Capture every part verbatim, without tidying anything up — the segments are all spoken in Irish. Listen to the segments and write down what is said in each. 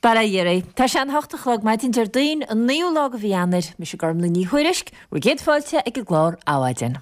Bail ó Dhia oraibh. Tá sé an hocht a chlog maidin Déardaoin, an naoú lá de mhí Eanáir. Mise Gormlaith Ní Thuairisg, bhur gcéad fáilte ag an gclár Adhmhaidin.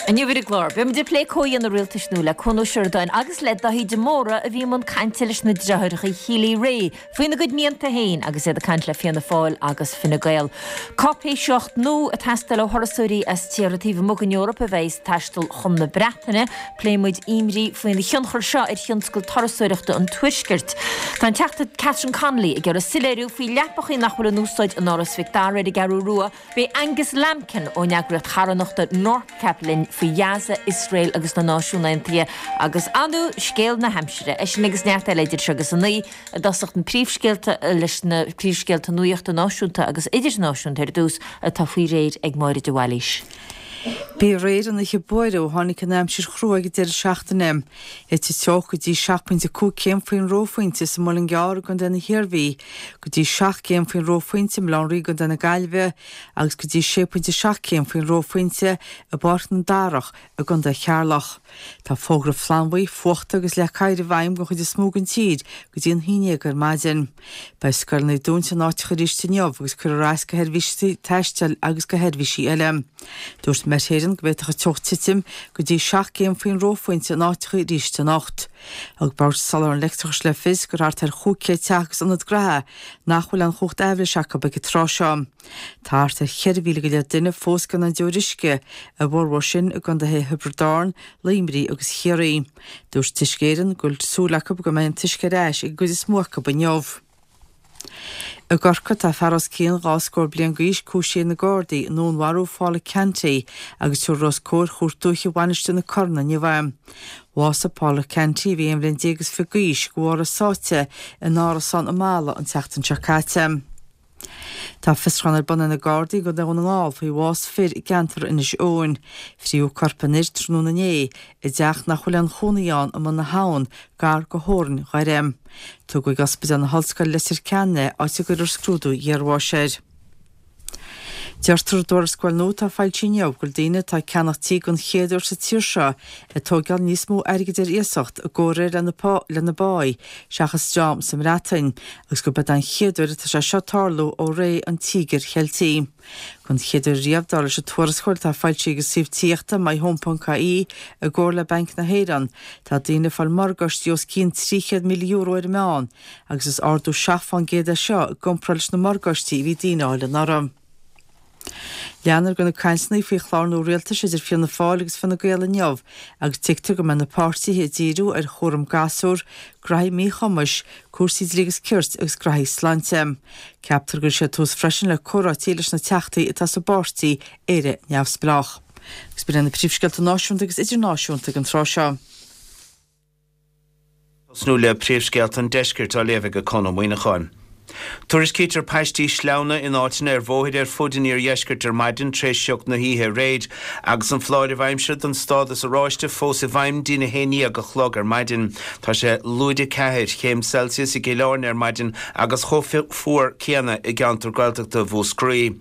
Inniu ar an gclár, beimid ag plé comhdhéanamh rialtais nua le Cuan Ó Seireadáin agus le Daithí de Mórdha a bhí i mbun cainte leis na deartháireacha Healy-Rae faoina gcuid mianta féin agus iad ag caint le Fianna Fáil agus Fine Gael. Cáipéisíocht nua ag teastáil ó thurasóirí as tíortha taobh amuigh den Eoraip a bheidh ag taisteal chun na Breataine. Pléifidh muid imní faoin thionchar seo ar thionscal turasóireachta an Tuaiscirt. Tá an Teachta Catherine Connolly ag iarraidh soiléiriú faoi leapachaí nach bhfuil in úsáid in Áras Mhic Dara ar an gCeathrú Rua. Beidh Angus Lambkin ón eagraíocht charthanachta NORCAP linn faoi Ghaza, Iosrael agus na Náisiúin Aontaithe agus ar ndóigh scéal na haimsire. É sin agus neart eile idir seo agus a naoi i dtosach na príomhscéalta leis na príomhscéalta nuachta náisiúnta agus idirnáisiúnta ar dtús atá faoi réir ag Máire de Bhailís. Bhí aréir an oíche buartha ó tháinig an aimsir chrua ag an deireadh seachtaine. Thit an teocht go dtí seacht bpointe cúig céim faoin reophointe sa Muileann gCearr i gContae na hIarmhí, go dtí seacht gcéim faoin reophointe i mBaile Átha an Rí i gContae na Gaillimhe agus go dtí sé pointe seacht céim faoin reophointe i bPáirc na nDarach i gContae Cheatharlach. Tá fógra flannbhuí, fuachta agus leac oighir i bhfeidhm don chuid is mó den tír go dtí an haon déag ar maidin. Beidh scoileanna dúnta in áiteacha arís inniu agus cuirfear as do sheirbhísí taistil agus do sheirbhísí eile. Dúirt Met Éireann go bhféadfadh an teocht titim go dtí seacht gcéim faoin reophointe in áiteacha arís anocht. Thug Bord Soláthair an Leictreachais le fios gur thart ar chúig chéad teach agus ionad gnaithe nach bhfuil aon chumhacht aibhléise acu ag an tráth seo. Tá thart ar cheithre mhíle go leith duine fós gan aon deoir uisce, a bhformhór sin i gcontaetha Thiobraid Árann, Luimnigh agus Chiarraí. Dúirt Uisce Éireann go bhfuil súil acu go mbeidh an t-uisce ar ais ag an gcuid is mó acu inniu. I gCorcaigh tá fear os cionn dhá scór bliain d'aois cúisithe ag na Gardaí i ndúnmharú Phaula Canty agus tabharfar os comhair Chúirt Dúiche Mhainistir na Corann inniu é. Bhásaigh Paula Canty, a bhí aon bhliain déag is fiche d'aois, de bharr a sáite in árasán i Mala an tseachtain seo caite. Tá fiosrúchán ar bun ag na Gardaí i gContae Dhún na nGall faoi bhás fir i gceantar Inis Eoghain. Frítheadh corp an fhir tráthnóna inné i dteach nach bhfuil aon chónaí ann i mBun na hAbhann, gar do theorainn Dhoire. Tugadh ag Ospidéal na hOllscoile Leitir Ceanainn é, áit a gcuirfear scrúdú iarbháis air. Deirtear i dtuarascáil nua atá foilsithe inniu go bhfuil daoine atá ag ceannach tí den chéad uair sa tír seo ag tóigeáil níos mó airgid ar iasacht i gcomhréir lena lena bpáí seachas dream sa mBreatain agus gurb é an chéad uair atá sé seo ag tarlú ó ré an Tíogair Cheiltigh. Don chéad uair riamh, dar leis an tuarascáil atá foilsithe ag an suíomh tithíochta myhome.ie i gcomhar le Banc na hÉireann, tá daoine ag fáil morgáistí os cionn trí chéad míle euro ar an meán agus is ardú seacht fán gcéad é seo i gcomparáid leis na morgáistí a bhí daoine a fháil anuraidh. Leanfar de na cainteanna faoi chlár nua rialtais idir Fianna Fáil agus Fine Gael inniu agus tuigtear go mbeidh na páirtithe ag díriú ar chúram gasúr, graithí míchumais, cúrsaí dlí agus cirt agus graithí sláinte. Ceaptar go gcuirfidh siad tús freisin le comhráití leis na teachtaí atá sa bpáirtí Éire Neamhspleách. Agus b'in iad na príomhscéalta náisiúnta agus idirnáisiúnta ag an tráth seo. Tosnú le príomhscéalta an deiscirt á léamh ag Conn Ó Muíneacháin. Tuairiscítear paistí sleamhna in áiteanna ar bhóithre ar fud an iardheiscirt ar maidin tar éis sioc na hoíche aréir, agus an foláireamh aimsire don stádas oráiste fós i bhfeidhm dtí'n a haon déag a chlog ar maidin. Tá sé lúide ceathair chéim Celsius i gCill Airne ar maidin agus chomh fuar céanna i gceantar Gaeltachta Mhúscraí.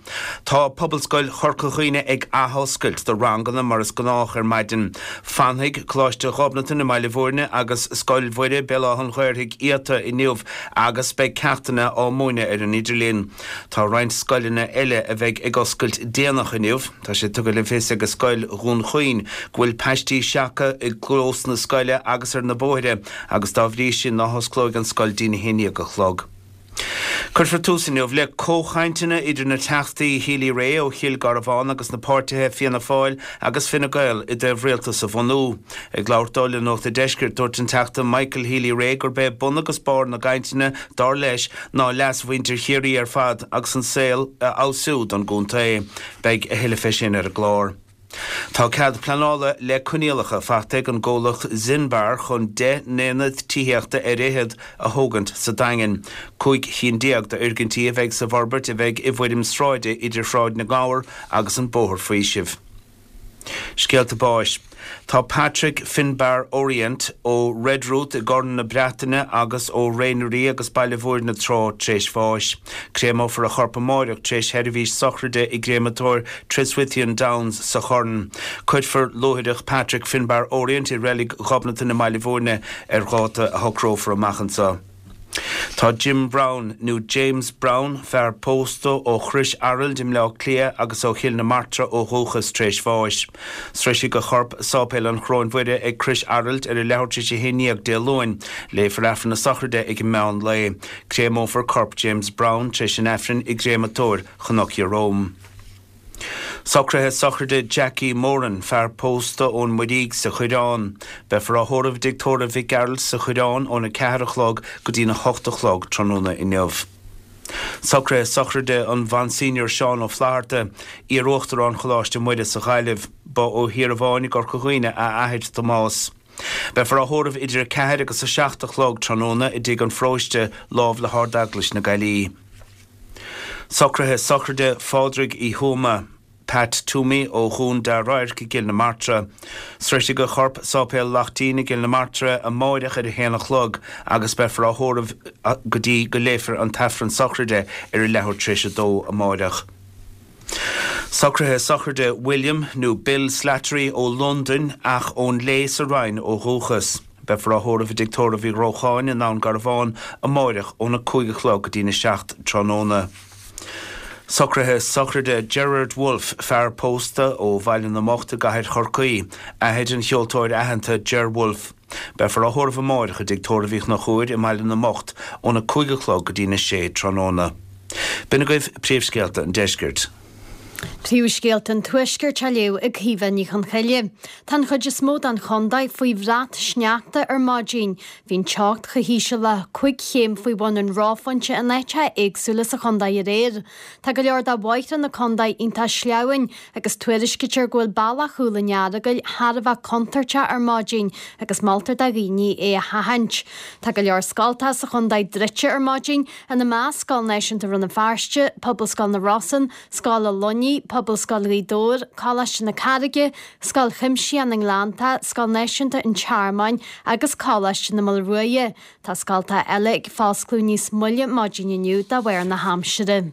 Tá Pobalscoil Chorca Dhuibhne ag athoscailt do ranganna mar is gnách ar maidin. Fanfaidh Coláiste Ghobnatan i mBaile Bhúirne agus Scoil Mhuire, Béal Átha an Ghaorthaidh iata inniu agus beidh ceachtanna á múineadh ar an idirlíon. Tá roinnt scoileanna eile a bheidh ag oscailt déanach inniu. Tá sé tugtha le fios ag Scoil Dhún Chaoin go bhfuil paistí seaca i gclós na scoile agus ar na bóithre agus dá bhrí sin ná hosclóidh an scoil dtí'n a haon déag a chlog. Cuirfear tús inniu le comhchainteanna idir na Teachtaí Healy-Rae ó Chill Garbhán agus na páirtithe Fianna Fáil agus Fine Gael i dtaobh rialtas a bhunú. Ag labhairt dó le Nuacht an Deiscirt, dúirt an Teachta Michael Healy-Rae gurb é bun agus barr na gcainteanna, dar leis, ná leas mhuintir Chiarraí ar fad agus an saol a fheabhsú don gcontae. Beidh a thuilleadh fé sin ar an gclár. Tá cead pleanála le coinníollacha faighte ag an gcomhlacht Zenbar chun deich n-aonad tithíochta ar fhichead a thógaint sa Daingean. Cúig chinn déag d'fhoirgintí a bheidh sa bhforbairt a bheidh i bhfoirm sráide idir Shráid na nGabhar agus an Bóthar Faoisimh. Scéalta báis. Tá Patrick Finbar Orient ó Redruth i gCorn na Breataine agus ó Réinrí agus Baile Mhúirne tráth tar éis bháis. Créamófar a chorp amárach tar éis sheirbhís sochraide i gcréamatóir Triswithian Downs sa Chorn. Cuirfear luaithreach Patrick Finbar Orient i reilig Ghobnatan i mBaile Mhúirne ar dháta a shocrófar amach anseo. Tá Jim Brown nó James Brown, fear pósta ó Chrois Araild i mBleá Cliath agus ó Chill na Martra ó dhúchas tar éis bháis. Sroisfidh a chorp Sáipéal an Choróin Mhuire ag Crois Araild ar a leathuair tar éis a haon déag Dé Luain. Léifear Aifreann na sochraide ag an meán lae. Créamófar corp James Brown tar éis an Aifrinn i gcréamatóir Chnoc Ieróm. Socruithe sochraide Jackie Moran, fear pósta ón Muirígh sa Choireán. Beifear á thórramh i dtigh tórraimh Mhic Gearailt sa Choireán óna ceathair a chlog go dtína hocht a chlog tráthnóna inniu. Socruithe sochraide an Mhonseigneur Seán Ó Flatharta, iar-uachtarán Choláiste Muire sa Ghaillimh. Ba ó Thír Bháin i gCorca Dhuibhne a athair Tomás. Beifear á thórramh idir a ceathair agus a seacht a chlog tráthnóna i dtigh an pharóiste lámh le hArd-Eaglais na Gaillimhe. Socruithe sochraide Phádraig Uí Thuama, Pat Toomey ó Dhún Dá Radharc i gCill na Martra. Sroisfidh a chorp Sáipéal Laichtín i gCill na Martra amáireach ar a haon a chlog agus beifear á thórramh go dtí go léifear an t-aifreann sochraide ar a leathuair tar éis a dó amáireach. Socruithe sochraide William nó Bill Slattery ó Londain ach ón Léith sa Rinn ó dhúchas. Beifear á thórramh i dtigh tórraimh Uí Ghrócháin i nDún Garbhán amáireach óna cúig a chlog go dtína seacht tráthnóna. Socruithe sochraide Gerard Wolfe, fear pósta ó Bhaile na mBocht i gcathair Chorcaí, athair an cheoltóir aitheanta Ger Wolfe. Beifear á thórramh amáireach i dtigh tórraimh Uí Chonchúir i mBaile na mBocht óna cúig a chlog go dtína sé tráthnóna. B'in agaibh príomhscéalta an deiscirt. Príomhscéalta an Tuaiscirt á léamh ag Caoimhe Ní Chonchoille. Tá an chuid is mó den chontae faoi bhrat sneachta ar maidin. Bhí an teocht chomh híseal le cúig chéim faoi bhun an reophointe in áiteacha éagsúla sa chontae aréir. Tá go leor de bhóithre na contae iontach sleamhain agus tuairiscítear go bhfuil bealach Chúil an Earagail thar a bheith contúirteach ar maidin agus moltar do dhaoine é a sheachaint. Tá go leor scoltacha sa chontae druidte ar maidin, ina measc Scoil Náisiúnta Rann na Feirste, Pobalscoil na Rosann, Scoil an Luinnigh, Pobalscoil Ghaoth Dobhair, Coláiste na Carraige, Scoil Chuimsitheach na nGleannta, Scoil Náisiúnta an Tearmainn agus Coláiste na Maolruaidhe. Tá scoltacha eile ag foscladh níos moille maidin inniu de bharr na haimsire.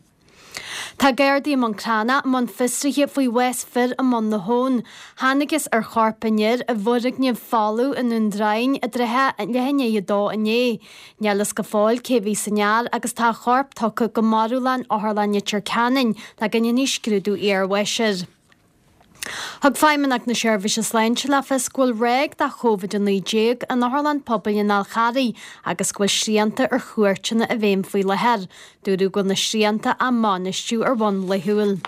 Tá Gardaí i mBun Cranncha i mbun fiosraithe faoi bhás fir i mBun na hAbhann. Thángthas ar chorp an fhir i bhfoirgneamh folamh i nDún Droighinn i dtrátha leath i ndiaidh a dó inné. Níl fhios go fóill cé bhí san fhear agus tá a chorp tugtha go marbhlann Otharlann Leitir Ceanainn le go ndéanfaí scrúdú iarbháis air. Thug Feidhmeannacht na Seirbhíse Sláinte le fios go bhfuil ráig de Covid a naoi déag in Otharlann Pobail an Fháil Charraigh agus go bhfuil srianta ar chuairteanna i bhfeidhm faoi láthair. Dúradh go bhfuil na srianta á mbainistiú ar bhonn laethúil.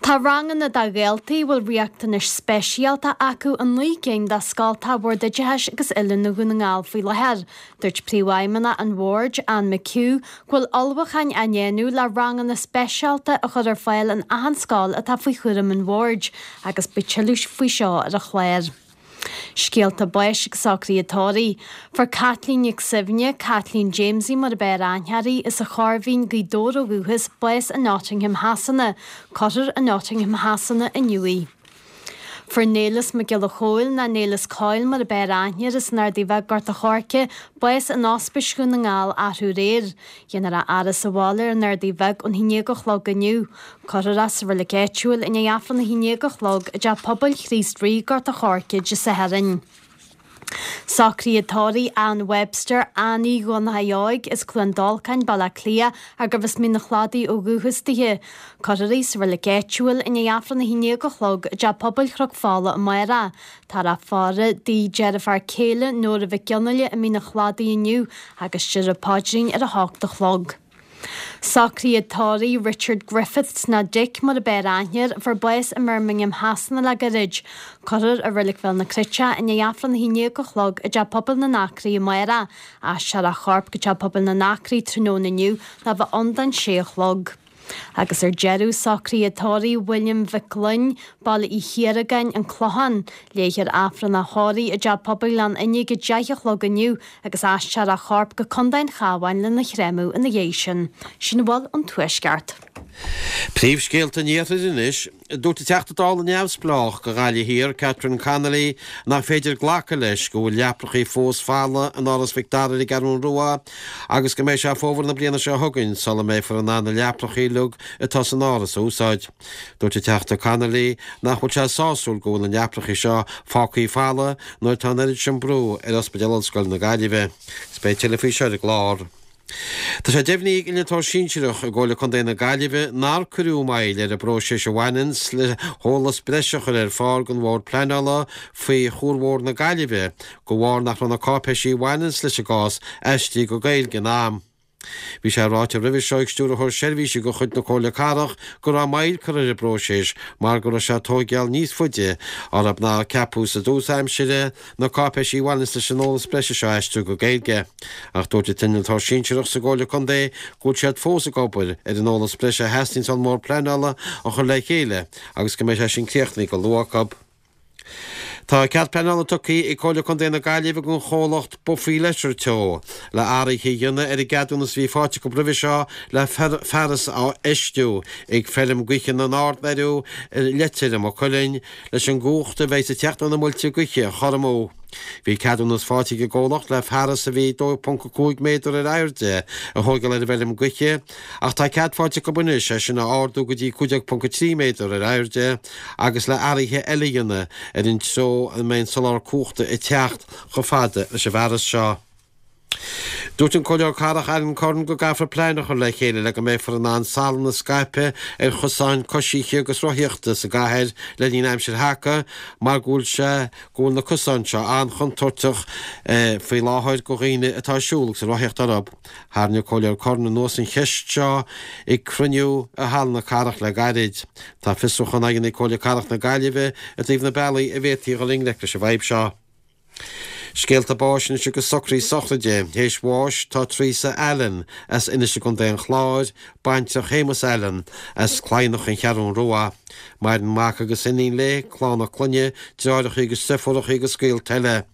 Tá ranganna do dhaltaí a bhfuil riachtanais speisialta acu i naoi gcinn de scoltacha Bhord Oideachais agus Oiliúna Dhún na nGall faoi láthair. Dúirt Príomhfheidhmeannach an Bhoird, Anne McHugh, go bhfuil ullmhúcháin á ndéanamh le ranganna speisialta a chur ar fáil in achan scoil atá faoi chúram an Bhoird agus beidh tuilleadh faoi seo ar an chlár. Scéalta báis agus socruithe tórraimh. Fuair Caitlín Nic Suibhne, Caitlín Jamesie mar ab fhearr aithne uirthi, as an Chorr Mhín, Gaoth Dobhair ó dhúchas, bás i Nottingham Shasana. Cuirfear i Nottingham Shasana inniu í. Fuair Néileas Mac Giolla Chóill, nó Néileas Coyle mar ab fhearr aithne air, as an Ardaidh Bheag, Gort a' Choirce, bás in Ospís Dhún na nGall arú aréir. Dhéanfar a fhaire sa bhaile ar an Ardaidh Bheag ón haon déag a chlog inniu. Cuirfear é sa reilig áitiúil i ndiaidh Aifreann a haon déag a chlog i dTeach Pobail Chríost Rí, Gort a' Choirce, Dé Sathairn. Socruithe tórraimh Ann Webster, Annie Dhonncha Óig, as Cluain Dolcáin, Baile Átha Cliath, gurbh as Mín an Chladaigh ó dhúchas dithe. Cuirfear í sa reilig áitiúil i ndiaidh Aifreann a haon déag a chlog i dTeach Pobail Chnoc Fola amárach. Táthar á faire dá deirfiúr céile Nóra Mhic Fhionnghaile i Mín an Chladaigh inniu agus déarfar paidrín ar a hocht a chlog. Socruithe tórraimh Richard Griffiths nó Dick mar ab fhearr aithne air, a fuair bás i mBirmingham Shasana le gairid. Cuirfear i Reilig Bhéal na Cruite i ndiaidh Aifreann a haon déag a chlog i dTeach Pobail na nAcraí amárach. Aistreofar a chorp go Teach Pobail na nAcraí tráthnóna inniu le bheith ann don sé a chlog. Agus ar deireadh, socruithe tórraimh William Mhic Gloinn, Baile Uí Chiaragáin, An Clochán. Léifear Aifreann a thórraimh i dTeach Pobail Ghleann Fhinne ag deich a chlog inniu agus aistreofar a chorp go Contae an Chabháin lena chréamadh ina dhiaidh sin. Sin a bhfuil ón Tuaisceart. Príomhscéalta an Iarthair anois, Dúirt an Teachta Dála neamhspleách do Ghaillimh Thiar, Catherine Connolly, nach féidir glacadh leis go bhfuil leaprachaí fós folamh in Áras Mhic Dara ar an gCeathrú Rua agus go mbeidh sé fómhar na bliana seo chugainn sula mbeifear in ann na leaprachaí uilig atá san áras a úsáid. Dúirt an Teachta Connolly nach bhfuil sé sásúil go bhfuil na leaprachaí seo fágtha folamh nuair atá an oiread sin brú ar Ospidéal Ollscoile na Gaillimhe. Agus beidh tuilleadh faoi seo ar an gclár. Tá sé deimhnithe ag Innealtóir Sinsearach i gComhairle Contae na Gaillimhe nár cuireadh moill ar an bpróiseas a bhaineanns le heolas breise a chur ar fáil don Bhord Pleanála faoi Chuar Mhór na Gaillimhe de bharr nach raibh na cáipéisí a bhaineanns leis an gcás aistrithe go Gaeilge in am. Bhí sé ráite roimhe seo ag Stiúrthóir Seirbhísí de chuid na Comhairle Cathrach go raibh moill curtha ar an bpróiseas mar go raibh sé ag tóigeáil níos faide orthu ná a ceapadh sa dtús aimsire na cáipéisí a bhaineanns leis an eolas breise seo a aistriú go Gaeilge. Ach dúirt an t-innealtóir sinsearach sa gComhairle Contae go bhfuil siad fós ag obair ar an eolas breise a theastaíonns ón mBord Pleanála a chur le chéile agus go mbeidh sé sin críochnaithe go luath acu. Tá cead pleanála tugtha ag Comhairle Contae na Gaillimhe don chomhlacht Boffi Leisure Teo le athruithe a dhéanamh ar an gceadúnas a bhí faighte acu roimhe seo le fearas a fheistiú ag feirm gaoithe na nArd-Bheiriú i Leitir i Maigh Cuilinn leis an gcumhacht a bheidh ag teacht ó na muilte gaoithe a chur amú. Bhí ceadúnas faighte ag an gcomhlacht le fearas a bhí dó ponc a cúig méadar ar airde a thógáil ar an bhfeirm gaoithe ach tá cead faighte acu anois é sin a ardú go dtí cúig déag ponc a trí méadar ar airde agus le athruithe eile a dhéanamh ar an treo a mbeidh an soláthar cumhachta ag teacht chomh fada leis an bhfearas seo. Dúirt an Comhairleoir Cathrach Alan Curran go gcaithfear plean a chur le chéile le go mbeifear in ann salann a scaipeadh ar chosáin coisithe agus rothaíochta sa gcathair le linn aimsir thaca mar go bhfuil sé go bhfuil na cosáin seo an-chontúirteach faoi láthair do dhaoine atá ag siúl agus ag rothaíocht orthu. Tharraing an Comhairleoir Curran anuas an cheist seo ag cruinniú i Halla na Cathrach le gairid. Tá fiosrúchán á dhéanamh ag Comhairle Cathrach na Gaillimhe i dtaobh na bealaí a bhféadfaí a dhul i ngleic leis an bhfadhb seo. Scéalta báis anois agus socruithe sochraide. Théis bháis tá Teresa Allen as Inis i gContae an Chláir, baintreach Shéamus Allen as Cladhnach An Cheathrún Rua. Maireann mac agus iníon léi, clann a clainne, deartháireacha agus deirfiúracha agus gaolta eile.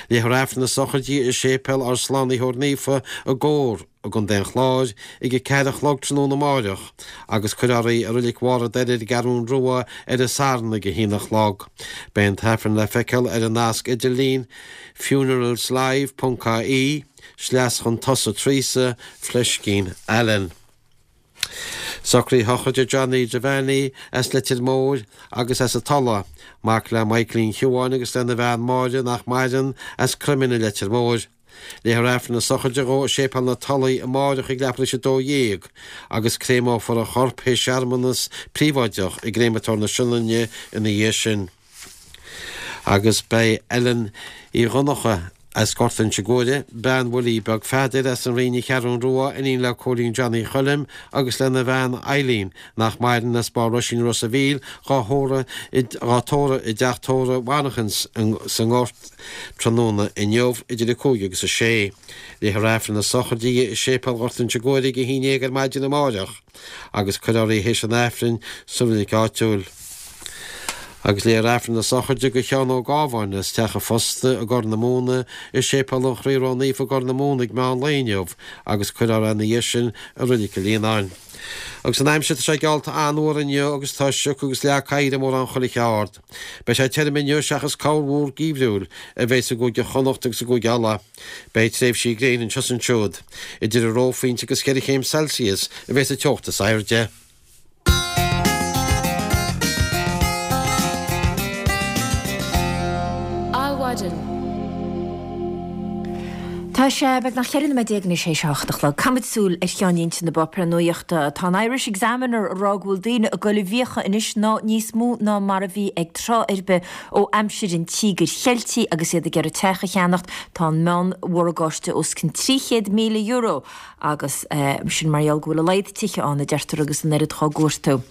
Léifear Aifreann na sochraide i Séipéal ár Slánaitheoir Naofa i gComhar i gContae an Chláir ag a ceathair a chlog tráthnóna amáireach agus cuirfear í i Reilig Bharr an Doire ar an gCeathrún Rua ar an Satharn ag a haon a chlog. Beidh an tAifreann le feiceáil ar an nasc idirlín funeralslive ponc ie sleas chun tosaigh Teresa Fleiscín Allen. Socruithe sochraide Johnny Devaney as Leitir Móir agus as an Tulaigh, mac le Michaelín Shiubháin agus lena bhean Máire nach maireann, as Croimín i Leitir Móir. Léifear Aifreann na sochraide dhó i Séipéal na Tulaí amáireach ag leathuair tar éis a dó dhéag agus créamófar a chorp théis searmanas príobháideach i gCréamatóir na Sionainne ina dhiaidh sin. Agus beidh Ellen Uí Dhonncha as Gort Inse Guaire, bean Willie Beag Pheadair as an Rinn An Cheathrún Rua, iníon le Cóilín Johnny Choilm agus lena bhean Eileen, nach maireann, as Barr Roisín Ros a' Mhíl, dhá thórramh dhá tórramh i dteach tórraimh Mhanachans sa nGort tráthnóna inniu idir a cúig agus a sé. Léifear Aifreann na sochraide di i Séipéal Ghort Inse Guaire ag a haon déag ar maidin amáireach agus cuirfear í théis an Aifrinn sa reilig áitiúil. Agus léifear Aifreann na sochraide do Sheán Ó Gábháin as Teach an Phosta i gCorr na Móna i Séipéal an Chroí Ró-Naofa i gCorr na Móna ag meán lae inniu agus cuirfear é ina dhiaidh sin i Reilig an Líonáin. Agus an aimsir, tá sé geallta an-fhuar inniu agus tá sioc agus leá oighir i mórán chuile cheard. Beidh sé tirim inniu seachas corrmhúr geimhriúil a bheidh i gCúige Chonnacht agus i gCúige Uladh. Beidh tréimhsí gréine anseo is ansiúd. Idir an reophointe agus ceithre chéim Celsius a bheidh sa teocht is airde. Adhmhaidin. Tá sé beagnach ceithre nóiméad déag anois théis a hocht a chlog. Caithfimid súil ar cheannlínte na bpáipéar nuachta. Tá an Irish Examiner ag rá go bhfuil daoine ag dul i bhfiacha anois ná níos mó ná mar a bhí ag tráth ar bith ó aimsir an Tíogair Cheiltigh agus iad ag iarraidh teach a cheannacht. Tá an meán-mhorgáiste os cionn trí chéad míle euro agus sin mar gheall go bhfuil a laghad tithe ann, a deirtear, agus an oiread dhá gcuartú.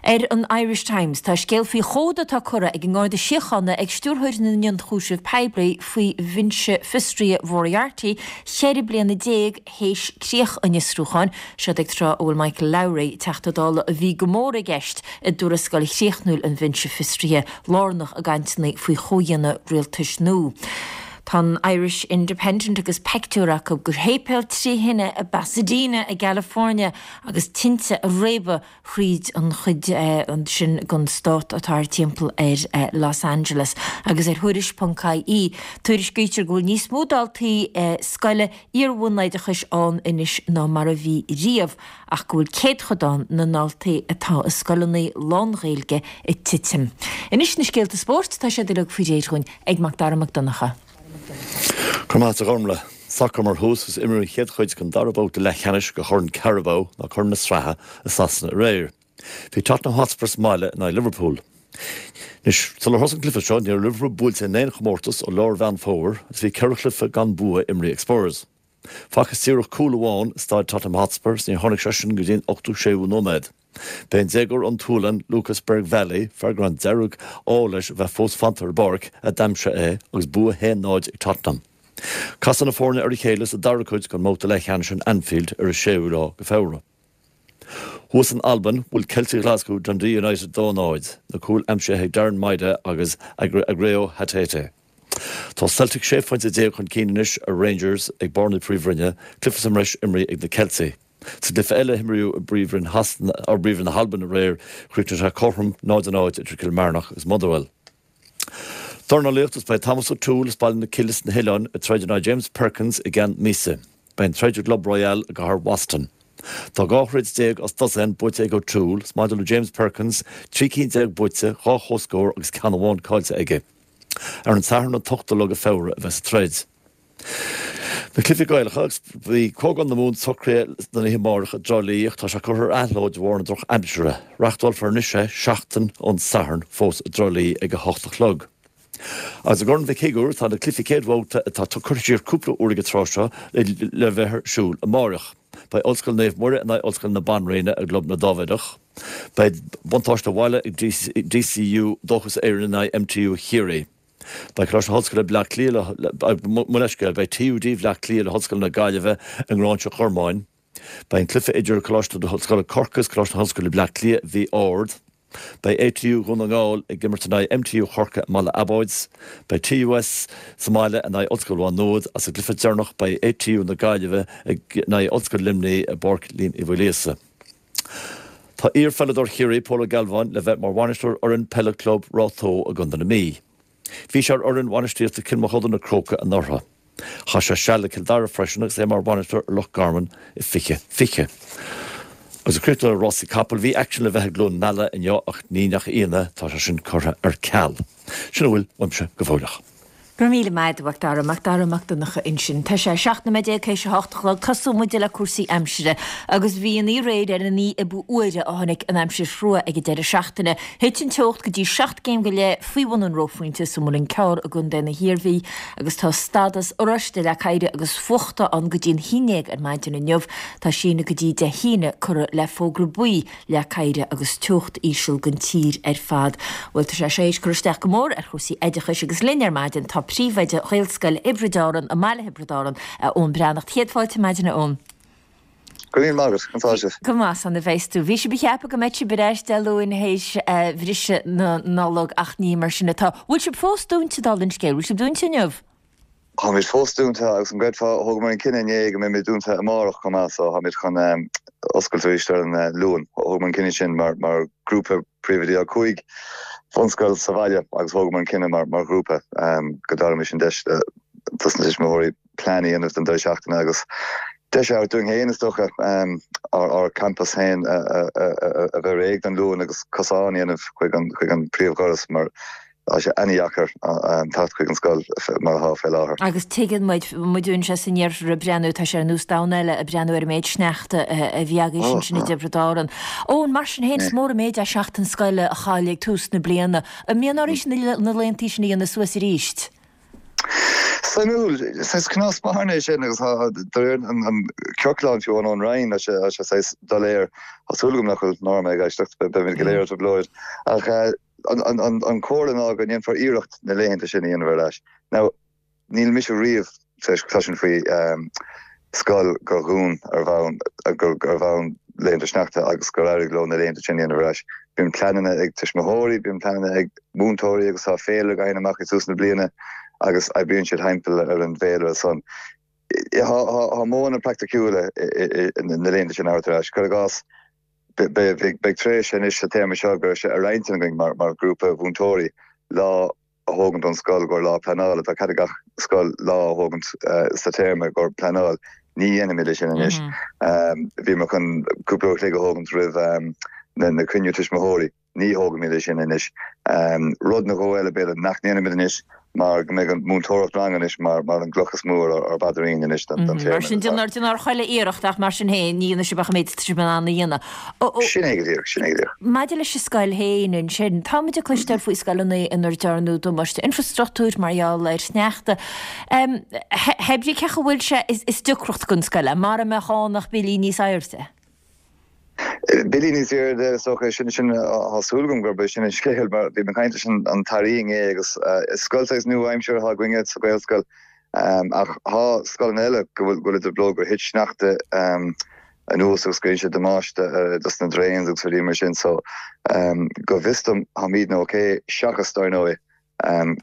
Ar an Irish Times, tá scéal faoi chomhad atá curtha ag an nGarda Síochána ag Stiúrthóir na nIonchúiseamh Poiblí faoi Bhinse Fiosraithe Mhoriarty ceithre bliana déag théis críoch an fhiosrúcháin, seod ag tráth a bhfuil Michael Lowry, Teachta Dála a bhí go mór i gceist i dtuarascáil chríochnúil an Bhinse Fiosraithe, lárnach i gcainteanna faoi chomhdhéanamh rialtais nua. Tá an Irish Independent agus pictiúr acu gur shéipéal trí thine i bPasadena i gCalifornia agus tinte ag réabadh thríd an chuid sin den stát atá ar timpeall ar Los Angeles. Agus ar Thuairisc ponc ie, tuairiscítear go bhfuil níos mó daltaí scoile iar-bhunoideachais ann anois ná mar a bhí riamh ach go bhfuil céadchodán na ndaltaí atá i scoileanna lán-Ghaeilge ag titim. Anois na scéalta spóirt, tá siad uilig faoi réir dhúinn ag Macdara Mac Donncha. Go raibh maith agat a Ghormlaith. Sacar mar thús agus imríodh an chéad chuid den dara babhta leathcheannais de Chorn Carabao ná Corn na Sraithe i Sasana aréir. Bhí Tottenham Hotspur sa mbaile in aghaidh Liverpool. Anois, sular thosaigh an cluiche seo, ní raibh Liverpool buailte in aon chomórtas ó lár Mheán Fómhair agus bhí ceithre chluiche gan bua imrithe ag Spurs. Facthas díreach cúl amháin i staid Tottenham Hotspur is níor tháinig sé sin go dtí an ochtú séú nóiméad. B'é an déagóir ón tSualainn, Lucas Bergvall, fear go raibh an dearg-ádh leis a bheith fós fanta ar an bpáirc, a d'aimsigh é agus bua a haon náid ag Tottenham. Casfaidh na foirne ar a chéile sa dara cuid den mbabhta leathcheannais in Anfield ar an séú lá de Feabhra. Thuas in Albain, bhuail Ceiltigh Ghlaschú Dundee United dó náid, na cúil aimsithe ag Darren Maida agus Aggrey Hatate. Tá Celtic sé phointe déag chun cinn anois ar Rangers ag barr na Príomhroinne, cluiche sa mbreis imrithe ag na Ceiltigh. Sa gcluiche eile a himríodh i bPríomhroinn Shasana, or bPríomhroinn na hAlban aréir, chríochnaigh sé cothrom náid a náid idir Cill Marnach agus Motherwell. Dornálaíocht Is beidh Thomas O'Toole as Baile na Cille sna hOileáin ag troid in aghaidh James Perkins i gceann míosa. Beidh an troid i gClub Royale i gcathair Boston. Tá dhá throid déag as dosaen buaite ag O'Toole, is maidir le James Perkins, trí cinn déag buaite, dhá chomhscór agus ceann amháin caillte aige. Ar an Satharn an t-ochtú lá de Feabhra a bheas an troid. Na cluichí Gaelacha agus bhí Comhdháil na Mumhan socraithe don oíche amárach i dTrá Lí ach tá sé curtha ar athló de bharr na drochaimsire. Reáchtálfar anois é seachtain ón Satharn fós i dTrá Lí ag a hocht a chlog. Agus i gCorn Mhic Shigiúir tá na cluichí céad bhabhta atá curtha siar cúpla uair ag an tráth seo le bheith ar siúl amárach. Beidh Ollscoil Naomh Muire in aghaidh Ollscoil na Banríona i gClub na Dáibhéadach. Beidh buntáiste bhaile ag D C U Dóchas Éireann in aghaidh M T U Chiarraí. Beidh Coláiste na hOllscoile Bleá Cliath le mo leithscéal, beidh T U D Bhleá Cliath le hOllscoil na Gaillimhe i nGráinseach Ghormáin. Beidh an cluiche idir Coláiste na hOllscoile Corcaigh is Coláiste na hOllscoile Bleá Cliath Mhí Ard. Beidh A T U Dhún na nGall ag imirt in aghaidh M T U Chorcaí i mBaile Abáid. Beidh T U S sa mbaile in aghaidh Ollscoil Mhá Nuad as an gcluiche deireanach beidh A T U na Gaillimhe ag in aghaidh Ollscoil Luimnigh i bPáirc Liam Uí Mhaoilíosa. Tá iar-pheileadóir Chiarraí Paul Ó Gealbháin le bheith mar bhainisteoir fhoireann peile club Ráth Tó i gContae na Mí. Bhí sé ar fhoireann bhainistíochta Cill Mochuda na Crócaigh anuraidh. Chaith sé seal le Cill Dara freisin agus é mar bhainisteoir ar Loch Garman i fiche fiche. Agus ag críochnú le rásaí capall bhí aicsean le bheith i gCluain Meala inniu ach ní nach ionadh tá sé sin curtha ar ceal. Sin a bhfuil uaimse go fóilleach. Go raibh míle maith agat Macdara, Macdara Mac Donncha ansin. Tá sé seacht nóiméad déag théis a hocht a chlog tosóidh muid le cúrsaí aimsire agus bhí an oíche aréir ar an oíche ab fhuaire a tháinig an aimsir chrua ag an deireadh seachtaine. Thit an teocht go dtí seacht gcéim go leith faoi bhun an reophointe sa Mhuileann Cearr i gContae na hIarmhí agus tá stádas oráiste le oighir agus fuachta ann go dtí an haon déag ar maidin inniu. Tá síneadh go dtí Dé hAoine curtha le fógra buí le oighear agus teocht íseal don tír ar fad. Bhuel tá sé sé cur isteach go mór ar chúrsaí oideachais agus linn ar maidin tá príomhoide Ghaelscoil Thiobraid Árann i mBaile Thiobraid Árann Eoin Breathnach. Céad fáilte maidine Eoin. Go maith an Go maith san a bheas tú. Bhí sibh ag ceapadh go mbeadh sibh ar ais Dé Luain théis bhriseadh na Nollag ach ní mar sin atá. Bhfuil sibh fós dúnta dála an scéil, bhfuil sibh dúnta inniu? Táimid fós dúnta agus an gcreidfeá thógamar an cinneadh inné go mbeimid dúnta amárach chomh maith so táimid chun oscailt arís ar an Luan. Thógamar an cinneadh sin mar mar grúpa príomhoidí ó cúig bhunscoil sa bhaile agus thógamar an cinneadh mar mar ghrúpa go dtabharfaimis an deis dos na tuismitheoirí plean a dhéanamh don deireadh seachtaine agus deis a dúinn féin is dócha ár campus féin a bheith réidh don Luan agus cosán a dhéanamh chuig an chuig an príomhdhoras mar tá sé an-deacair teacht chuig an scoil mar atá fé láthair. Agus tuigeann muid muid sé san iarthar ag breathnú tá sé ar nós domhan eile ag breathnú ar an méid sneachta a bhí agaibh sin sin i dTiobraid Árann. Ó mar sin féin is mór an méid é seachtain scoile a chailleadh ag tús na bliana. An mbíonn oraibh na laethantaí sin a dhéanamh suas arís. Suimiúil is cás mar é sin agus an ciorclán fiú an ón Roinn sé sé doiléir Tá súil agam nach bhfuil Norma ag éisteacht beimid go léir trioblóid ach an chomhairle ná go ndéanfar iarracht na laethanta sin a dhéanamh ar ais. Now níl mise riamh cloisim faoi scoil gur dhún ar bhonn ar bhonn laethanta sneachta agus gur éirigh leo na laethanta sin a dhéanamh ar ais. Bíonn pleananna ag tuismitheoirí, bíonn pleananna ag múinteoirí agus tá féile gain amach i tús na bliana agus oibríonn siad thimpeall ar an bhféilire san. Tá modhanna praiticiúla na laethanta sin thart ar ais. Cuir i gcás, beidh tréimhse anois sa téarma seo go raibh sé ar intinn againn mar ghrúpa mhúinteoirí lá a thógaint don scoil gur lá pleanála. Tá cead ag gach scoil lá a thógaint sa téarma gur pleanáil. Ní dhéanfaimid é sin anois. Bhíomar chun cúpla uair a chloig a thógaint roimh na cruinniú tuismitheoirí. Ní thógfaimid é sin anois. Rud nó dhó eile b'fhéidir nach ndéanfaimid anois mar go mbeidh an múinteoireacht ranga anois mar mar an gcloch is mó ar ár bpaidirín anois don don téarma. Mar sin déanfar déanfar chuile iarracht ach mar sin féin ní dhéanfaidh sibh ach an méid atá sibh in ann a dhéanamh. Sin é go díreach, sin é go díreach. Maidir leis an scoil féin ansin, táimid ag cloisteáil faoi scoileanna inar dearnadh damáiste infreastruchtúir mar gheall ar shneachta. Hé brí cén chaoi a bhfuil sé is deacracht don scoil é, mara mbeadh ann ach billí níos airde. Billí níos airde, is dócha, sin sin tá súil agam gurb é sin an scéal mar bhí mé ag caint leis an tAire inné agus is scoil saghas nua-aimseartha atá againne sa Ghaelscoil ach tá scoileanna eile go bhfuil go bhfuil i dtrioblóid gur thit sneachta anuas agus go dhein sé damáiste dos na drains agus rudaí mar sin so go bhfios dom táimidne ok seachas dar ndóigh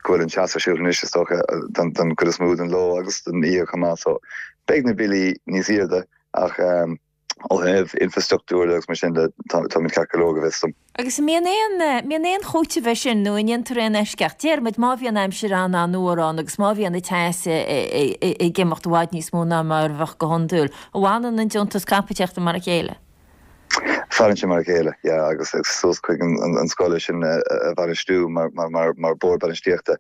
go bhfuil an teas ar siúl anois is dócha don chuid is mó den ló agus den oíche chomh maith so beidh na billí níos airde ach ó thaobh infrastruchtúir agus mar sin de táimid ceart go leor go bhfios dom. Agus an mbíonn aon, mbíonn aon chúiteamh air sin nó an ndéantar aon eisceacht? Deir muid má bhíonn aimsir an-an-fhuar ann agus má bhíonn an teas ag imeacht i bhfad níos mó ná mar a bheadh go hiondúil, an bhfanann an deontas caipitíochta mar a chéile? Fanann sé mar a chéile, yeah, agus is suas chuig an scoil é sin a bhainistiú mar mar mar bord bainistíochta.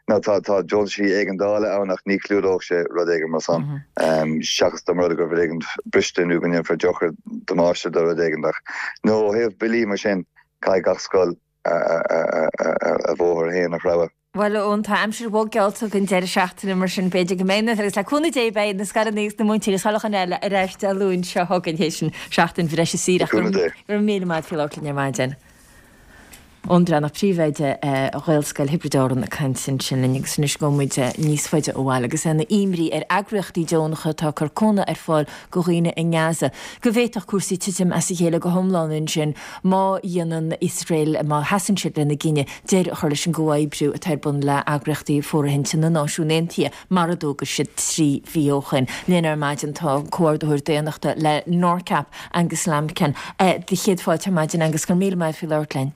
Now tá tá deontaisí éigeandála ann ach ní chlúdódh sé rud éigin mar san. Seachas dá mba rud é go raibh rud éigin briste nó go ndéanfar dochar damáiste do rud éigin ach no ó thaobh billí mar sin caithfidh gach scoil a bhóthar féin a threabhadh. Bhuel, Eoin, tá aimsir bhog geallta don deireadh seachtaine mar sin b'fhéidir go mbeidh na, agus le cúnamh Dé beidh na scoileanna agus na múinteoirí is chuile dhuine eile ar ais Dé Luain seo chugainn théis an seachtain bhreise saoire. Ach go raibh míle maith agat faoi labhairt linn ar maidin. Eoin Breathnach, Príomhoide Ghaelscoil Thiobraid Árann ag caint ansin linn agus anois gabhfaidh muid níos faide ó bhaile agus é ina imní ar eagraíochtaí deonacha atá ag cur cúnamh ar fáil go dhaoine i nGaza go bhféadfadh cúrsaí titim as a chéile go hiomlán ansin má dhéanann Iosrael, má sheasann siad lena gcinneadh deireadh a chur leis an gcomhoibriú atá ar bun le heagraíochtaí fóirithinte na Náisiún Aontaithe mar a d'fhógair siad trí mhí ó shoin. Linn ar maidin tá an Comhordaitheoir Daonnachta le NORCAP, Angus Lambkin. Do chéad fáilte ar maidin Angus, go raibh míle maith agat faoi labhairt linn.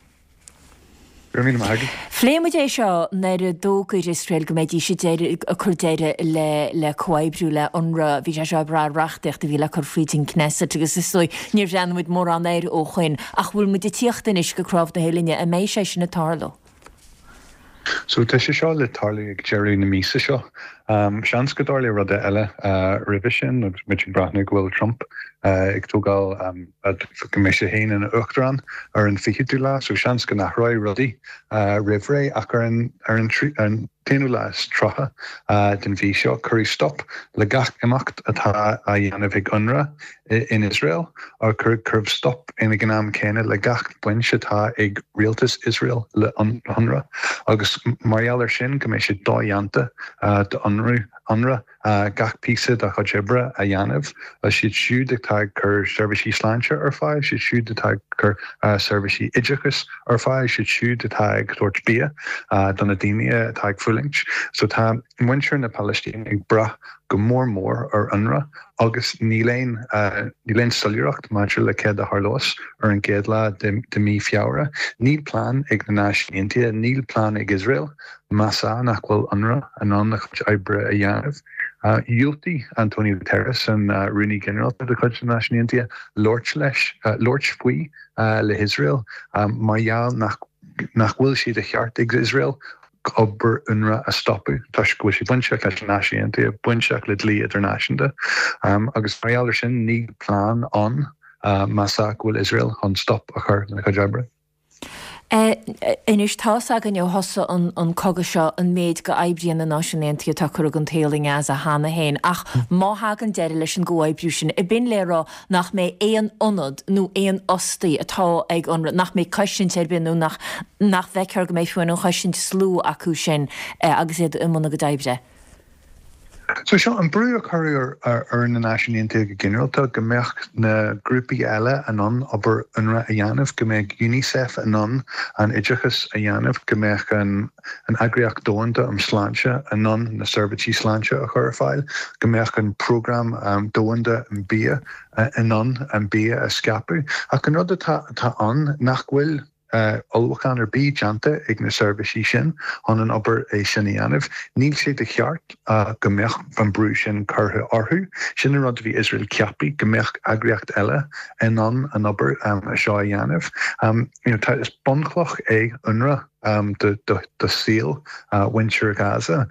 Go raibh míle maith agat. Phléigh muid é seo nuair a d'fhógair Iosrael go mbeidís ag cur deireadh le le comhoibriú le UNRWA. Bhí sé seo ag brath ar reachtaíocht a bhí le cur fríd an Knesset agus is dóigh níor bhreathnaigh muid mórán air ó shoin. Ach bhfuil muid ag tíocht anois go cnámh na huillinne? An mbeidh sé sin ag tarlú? So tá sé seo le tarlú ag deireadh na míosa seo. Seans go dtarlóidh rud eile roimhe sin agus muid ag breathnú go bhfuil Trump ag tógáil go mbeidh sé féin ina uachtarán ar an fichiú lá, so seans go n-athróidh rudaí roimh ré ach ar an ar an t-aonú lá is tríocha den mhí seo cuireadh stop le gach imeacht atá á dhéanamh ag UNRWA in Iosrael agus cuireadh stop ag an am céanna le gach baint atá ag rialtas Iosrael le UNRWA agus mar gheall ar sin go mbeidh sé dodhéanta do UNRWA gach píosa dá chuid oibre a dhéanamh, siad siúd atá ag cur seirbhísí sláinte ar fáil, siad siúd atá ag cur seirbhísí oideachais ar fáil, siad siúd atá ag tabhairt bia do na daoine atá ag fulaingt. So tá muintir na Palaistíne ag brath go mór mór ar UNRWA agus níl aon níl aon soiléireacht maidir le céard a tharlós ar an gcéad lá de de mí Feabhra. Níl plean ag na Náisiúin Aontaithe, níl plean ag Iosrael más ea nach bhfuil UNRWA in ann a chuid oibre a dhéanamh. Dhiúltaigh Antonio Guterres, an Rúnaí Ginearálta de chuid na Náisiún Aontaithe, labhairt leis labhairt faoi le hIosrael mar gheall nach nach bhfuil sé de cheart ag Iosrael obair UNRWA a stopadh toisc go bhfuil sé bainteach leis na Náisiúin Aontaithe, bainteach le dlí idirnáisiúnta agus mar gheall ar sin níl plean ann más ea go bhfuil Iosrael chun stop a chur lena chuid oibre. Anois tá's againn ó thosaigh an cogadh seo an méid go oibríonn na Náisiúin Aontaithe atá curtha den tsaol i nGaza cheana féin ach má thagann deireadh leis an gcomhoibriú sin, ab in le rá nach mbeidh aon ionad nó aon fhostaí atá ag UNRWA, nach mbeidh cosaint ar bith nó nach nach bhfeicthear go mbeidh fiú an chosaint is lú acu sin agus iad i mbun a gcuid oibre? So seo an brú a cuireadh ar na Náisiúin Aontaithe go ginearálta go mbeadh na grúpaí eile in ann obair UNRWA a dhéanamh, go mbeadh UNICEF in ann an oideachas a dhéanamh, go mbeadh an an Eagraíocht Domhanda um Sláinte in ann na seirbhísí sláinte a chur ar fáil, go mbeadh an Prógram Domhanda um Bia in ann an bia a scaipeadh. Ach an rud atá atá ann nach bhfuil ullmhúchán ar bith déanta ag na seirbhísí sin chun an obair é sin a dhéanamh. Níl sé de cheart go mbeadh an brú sin curtha orthu. Sin an rud a bhí Iosrael ceaptha, go mbeadh eagraíocht eile in ann an obair seo a dhéanamh. Tá, is bunchloch é UNRWA do saol mhuintir Gaza.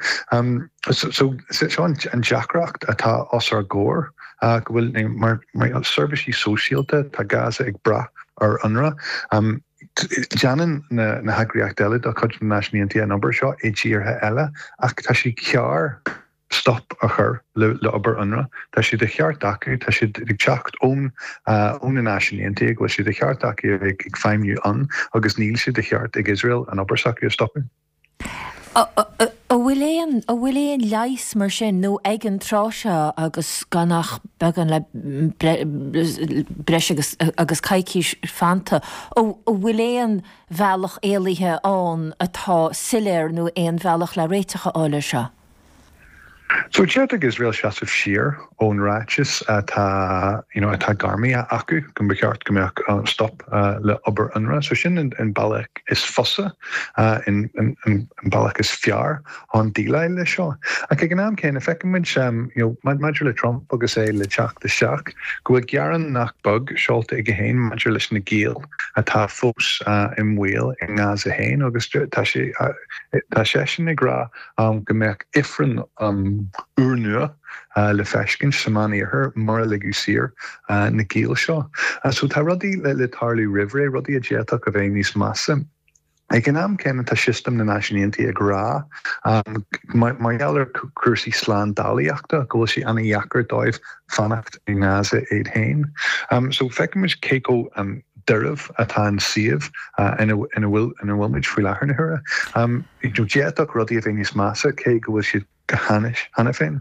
So seo an deacracht atá os ár gcomhair, go bhfuil mar seirbhísí sóisialta, tá Gaza ag brath ar UNRWA. Déanann na heagraíochtaí eile de chuid na Náisiún Aontaithe an obair seo i dtíortha eile ach tá sé cearr stop a chur le obair UNRWA. Tá sé de cheart acu, tá siad ag teacht ón ó na Náisiúin Aontaithe go bhfuil sé de cheart acu a bheith ag feidhmiú ann agus níl sé de cheart ag Iosrael an obair s'acu a stopadh. An bhfuil aon, an bhfuil aon leigheas mar sin nó ag an tráth seo agus gan ach beagán le breis agus agus coicís fanta, an bhfuil aon bhealach éalaithe ann atá soiléir nó aon bhealach le réiteach a fháil air seo? So d'fhéadfadh Iosrael seasamh siar ón ráiteas atá you know atá gairmithe acu go mba cheart go mbeadh stop le obair UNRWA. So sin an bealach is fusa, an bealach is fearr chun déileáil leis seo. Ach ag an am céanna feicimid you know maidir le Trump agus é le teacht isteach go bhfuil gearán nach beag seolta aige féin maidir leis na giall atá fós i mbaol i nGaza féin agus tá sé tá seisean ag rá go mbeadh ifreann úrnua le feiscint sa Mheánoirthear mura ligeadh saor na giall seo. So tá rudaí le tarlú roimh ré, rudaí a d'fhéadfadh a bheith níos measa. Ag an am céanna tá sistem na Náisiún Aontaithe ag rá mar gheall ar cúrsaí slándálaíochta go bhfuil sé an-dheacair dóibh fanacht i nGaza iad féin. So feicimid cé chomh doirbh atá an suíomh ina bhfuil ina bhfuil muid faoi láthair na huaire. D'fhéadfadh rudaí a bheith níos measa cé go bhfuil siad go hainnis cheana féin.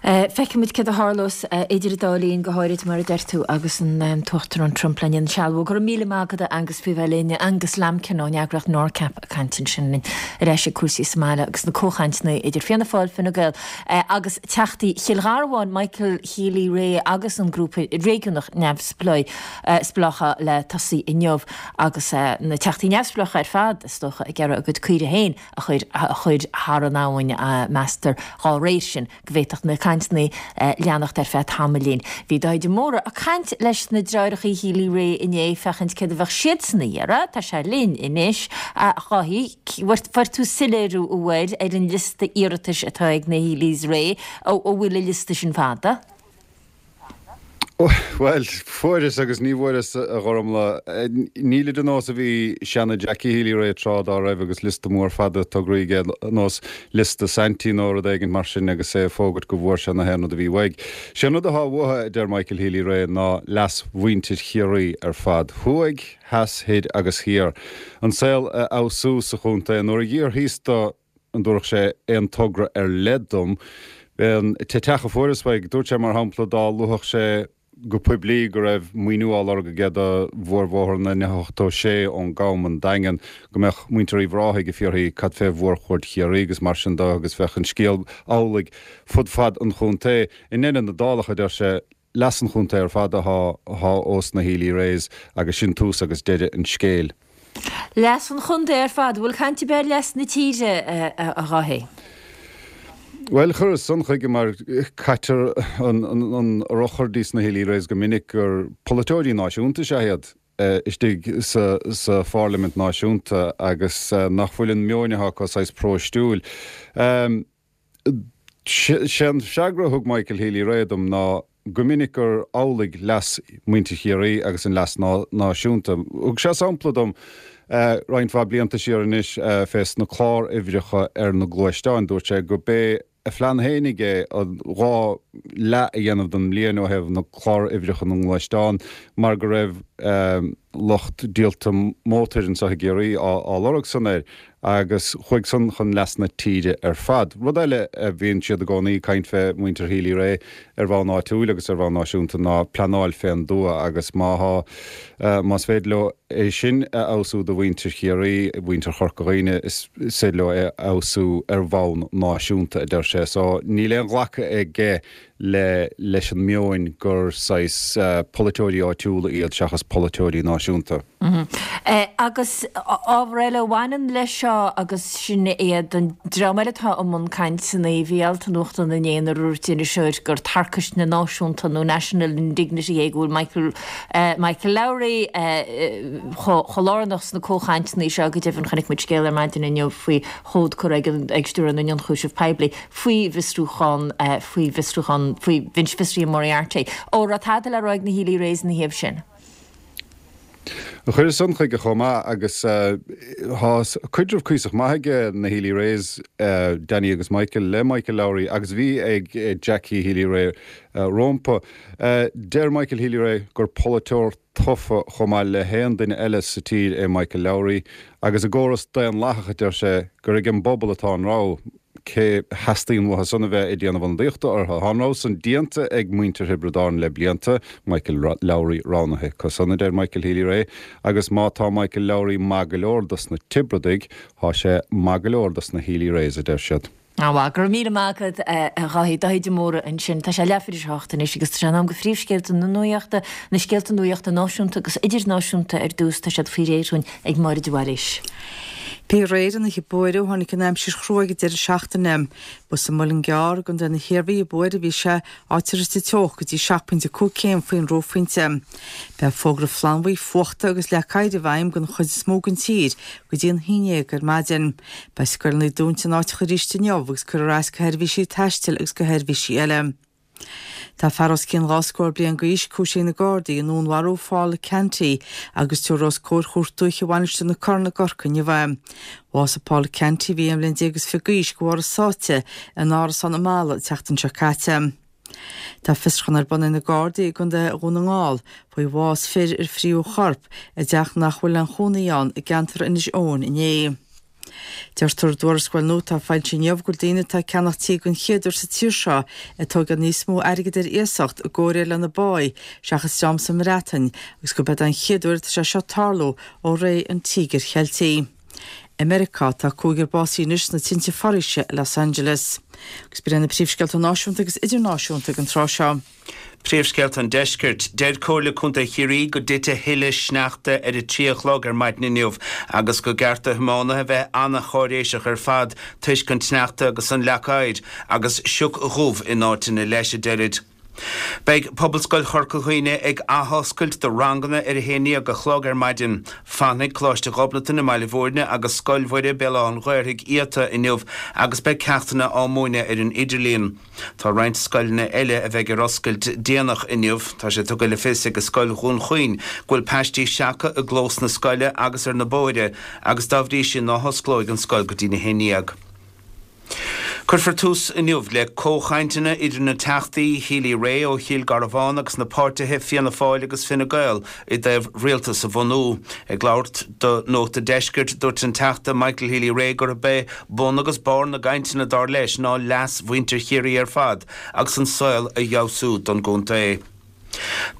Feicfimid céard a tharlós idir an dá linn, go háirid, mar a deir tú, agus an tUachtarán Trump le insealbhú. Go raibh míle maith agat, a Angus, faoi bheith linn. Angus Lambkin ón eagraíocht NORCAP ag caint ansin linn ar ais ag cúrsaí sa mbaile agus na comhchainteanna idir Fianna Fáil, Fine Gael agus Teachtaí Chill Gharbháin, Michael Healy-Rae agus an grúpa réigiúnach neamhspleácha le tosaí inniu agus na Teachtaí neamhspleácha ar fad, is dócha, ag iarraidh a gcuid caoirigh féin a chur a chur thar an abhainn, meastar dá réir sin go bhféadfadh na cainteanna leanacht ar feadh tamaillín. Bhí Dáithí de Mórdha ag caint leis na deartháireacha Healy-Rae inné féachaint céard a bheadh siadsan a iarraidh. Tá sé linn anois. A Dháithí, fuair tú soiléiriú uaidh ar an liosta iarratais atá ag na Healys Rae. An bhfuil an liosta sin fada? Bhuel, fuaireas agus ní bhfuaireas, a Ghormfhlaith. Nílid ar nós a bhí seana Jackie Healy-Rae tráth dá raibh agus liosta mór fada tograí aige ar nós liosta Saintí nó rud éigin mar sin agus é ag fógairt go bhfuair sé na haon rud a bhí uaidh. Sé an rud atá uathu, a deir Michael Healy-Rae, ná leas mhuintir Chiarraí ar fad, thuaidh, theas, thoir agus thiar. An saol a fheabhsú sa chontae. Nuair a d'fhiafraíos de an dtabharfadh sé aon togra ar leith dom, an t-each a fuaireas uaidh, dúirt sé mar shampla dá luafadh sé go poiblí go raibh maoiniú á lorg aige do mhórbhóthar na N ochtó sé ón gCam an Daingean, go mbeadh muintir Uíbh Ráthaigh ag fiafraí cad fé mhórchuaird Chiarraí agus mar sin de agus bheadh an scéal amhlaidh fud fad an chontae. I ndeireadh na dálach, a deir sé, leas an chontae ar fad atá ós na Healy-Raes agus sin tús agus deireadh an scéil. Leas an chontae ar fad. Bhfuil caint ar bith ar leas na tíre, a Dháithí? Bhuel, chuireas san chuige mar caitear an urchar dís na Healy-Raes go minic gur polaiteoirí náisiúnta is ea iad istigh sa pharlaimint náisiúnta agus nach bhfuil an meon atá acu saghas próistiúil. Sé an freagra a thug Michael Healy-Rae dom ná go minic gur amhlaidh leas muintir Chiarraí agus an leas náisiúnta. Thug sé sampla dom roinnt mhaith blianta siar anois fés na clár-uimhreacha ar na gluaisteáin. Dúirt sé go b'é a phlean fhéinig é an dhá leath a dhéanamh den mbliain ó thaobh na clár-uimhreacha na ngluaisteán mar go raibh lucht díolta mótair anseo i gCiarraí á lorg san air. agus chuaigh san chun leas na tíre ar fad. Rud eile a bhíonn siad i gcónaí ag caint fé, muintir Healy-Rae, ar bhonn áitiúil agus ar bhonn náisiúnta ná pleanáil fén dtuath agus má thá, más féidir leo é sin a fheabhsú do mhuintir Chiarraí, mhuintir Chorca Dhuibhne, is féidir leo é a fheabhsú ar bhonn náisiúnta, a deir sé. So níl aon ghlacadh aige le leis an meoin gur saghas polaiteoirí áitiúla iad seachas polaiteoirí náisiúnta. Agus ábhar eile a bhaineann leis seo agus sin iad an dream eile atá i mbun cainteanna, bhí alt i nuachtán inné ina ndúirt iriseoir gur tarcaisne náisiúnta nó national indignity é go bhfuil Michael Michael Lowry chomh lárnach sna comhchainteanna seo. Go deimhin chonaic muid scéal ar maidin inniu faoi chomhad curtha ag Stiúrthóir na nIonchúiseamh Poiblí faoi bhfiosrúchán faoi bhfiosrúchán faoi bhinse fiosraithe Moriarty. An raibh tada le rá ag na Healy-Raes ina thaobh sin? Chuireas san chuige chomh maith agus tá caidreamh cuíosach maith ag na Healy-Raes, Danny agus Michael, le Michael Lowry agus bhí ag Jackie Healy-Rae rompu. Deir Michael Healy-Rae gur polaiteoir tofa chomh maith le haon duine eile sa tír é Michael Lowry agus i gcóras daonlathach, a deir sé, gur ag an bpobal atá an rogha. Cé theastaíonn uathu san a bheith ag déanamh ionadaíochta orthu? Tá an rogha san déanta ag muintir Thiobraid Árann le blianta, Michael Lowry roghnaithe acu san, a deir Michael Healy-Rae, agus má tá Michael Lowry maith go leor dos na Tiobradaigh, tá sé maith go leor dos na Healy-Raes, a deir siad. An-mhaith. Go raibh míle maith agat, a Dháithí. Dáithí de Mórdha ansin. Tá sé leathuair tar éis a hocht anois agus tá sé in am do phríomhscéalta na nuachta, na scéalta nuachta náisiúnta agus idirnáisiúnta ar dtús. Tá siad faoi réir dhúinn ag Máire de Bhailís. Bhí aréir an oíche buaidh ó tháinig an aimsir chrua ag an deireadh seachtaine. Ba sa Muileann gCearr i gContae na hIarmhí a b'fhuaire a bhí sé, áit ar thit an teocht go dtí seacht bpointe cúig céim faoin reophointe. Beidh fógra flannbhuí fuachta agus leac oighir i bhfeidhm don chuid is mó den tír go dtí an haon déag ar maidin. Beidh scoileanna dúnta in áiteacha arís inniu agus cuirfear as do sheirbhísí taistil agus do sheirbhísí eile. Tá fear os cionn dhá scór bliain d'aois cúisithe ag na Gardaí i ndúnmharú Phaula Canty agus tabharfar os comhair Chúirt Dúiche Mhainistir na Corann i gCorcaigh inniu é. Bhásaigh Paula Canty, a bhí aon bhliain déag is fiche d'aois, de bharr a sáite in árasán i Mala an tseachtain seo caite. Tá fiosrúchán ar bun ag na Gardaí i gContae Dhún na nGall faoi bhás fir ar fríothadh a chorp i dteach nach bhfuil aon chónaí ann i gceantar Inis Eoghain inné. Deirtear i dtuarascáil nua atá foilsithe inniu go bhfuil daoine atá ag ceannach tí den chéad uair sa tír seo ag tógáil níos mó airgid ar iasacht i gcomhréir lena bpá seachas dream sa mBreatain agus gurb é den chéad uair atá sé seo ag tarlú ó ré an Tíogair Cheiltigh. I Meiriceá, tá cúigear básaithe anois sna tinte foraoise i Los Angeles. Agus b'in iad na príomhscéalta náisiúnta agus idirnáisiúnta ag an tráth seo. Príomhscéalta an Deiscirt. Deir Comhairle Contae Chiarraí go dtitfidh tuilleadh sneachta ar a trí a chlog ar maidin inniu agus go gceart do thiománaithe bheith an-cháiréiseach ar fad toisc an tsneachta agus an leac oighir agus sioc dhubh in áiteanna leis, a deirid. Beidh Pobalscoil Chorca Dhuibhne ag athoscailt do ranganna ar a haon déag a chlog ar maidin. Fanfaidh Coláiste Ghobnatan i mBaile Bhúirne agus Scoil Mhuire, Béal Átha an Ghaorthaidh iata inniu agus beidh ceachtanna á múineadh ar an idirlíon. Tá roinnt scoileanna eile a bheidh ar oscailt déanach inniu. Tá sé tugtha le fios ag Scoil Dhún Chaoin go bhfuil paistí seactha i gclós na scoile agus ar na bóithre agus dá bhrí sin ná hosclóidh an scoil go dtí a haon déag. Cuirfear tús inniu le comhchainteanna idir na Teachtaí Healy-Rae ó Chill Garbháin agus na páirtithe Fianna Fáil agus Fine Gael i dtaobh rialtas a bhunú. Ag labhairt do Nuacht an Deiscirt, dúirt an Teachta Michael Healy-Rae gurb é bun agus barr na gcainteanna dar leis ná leas mhuintir Chiarraí ar fad agus an saol a fheabhsú don gcontae.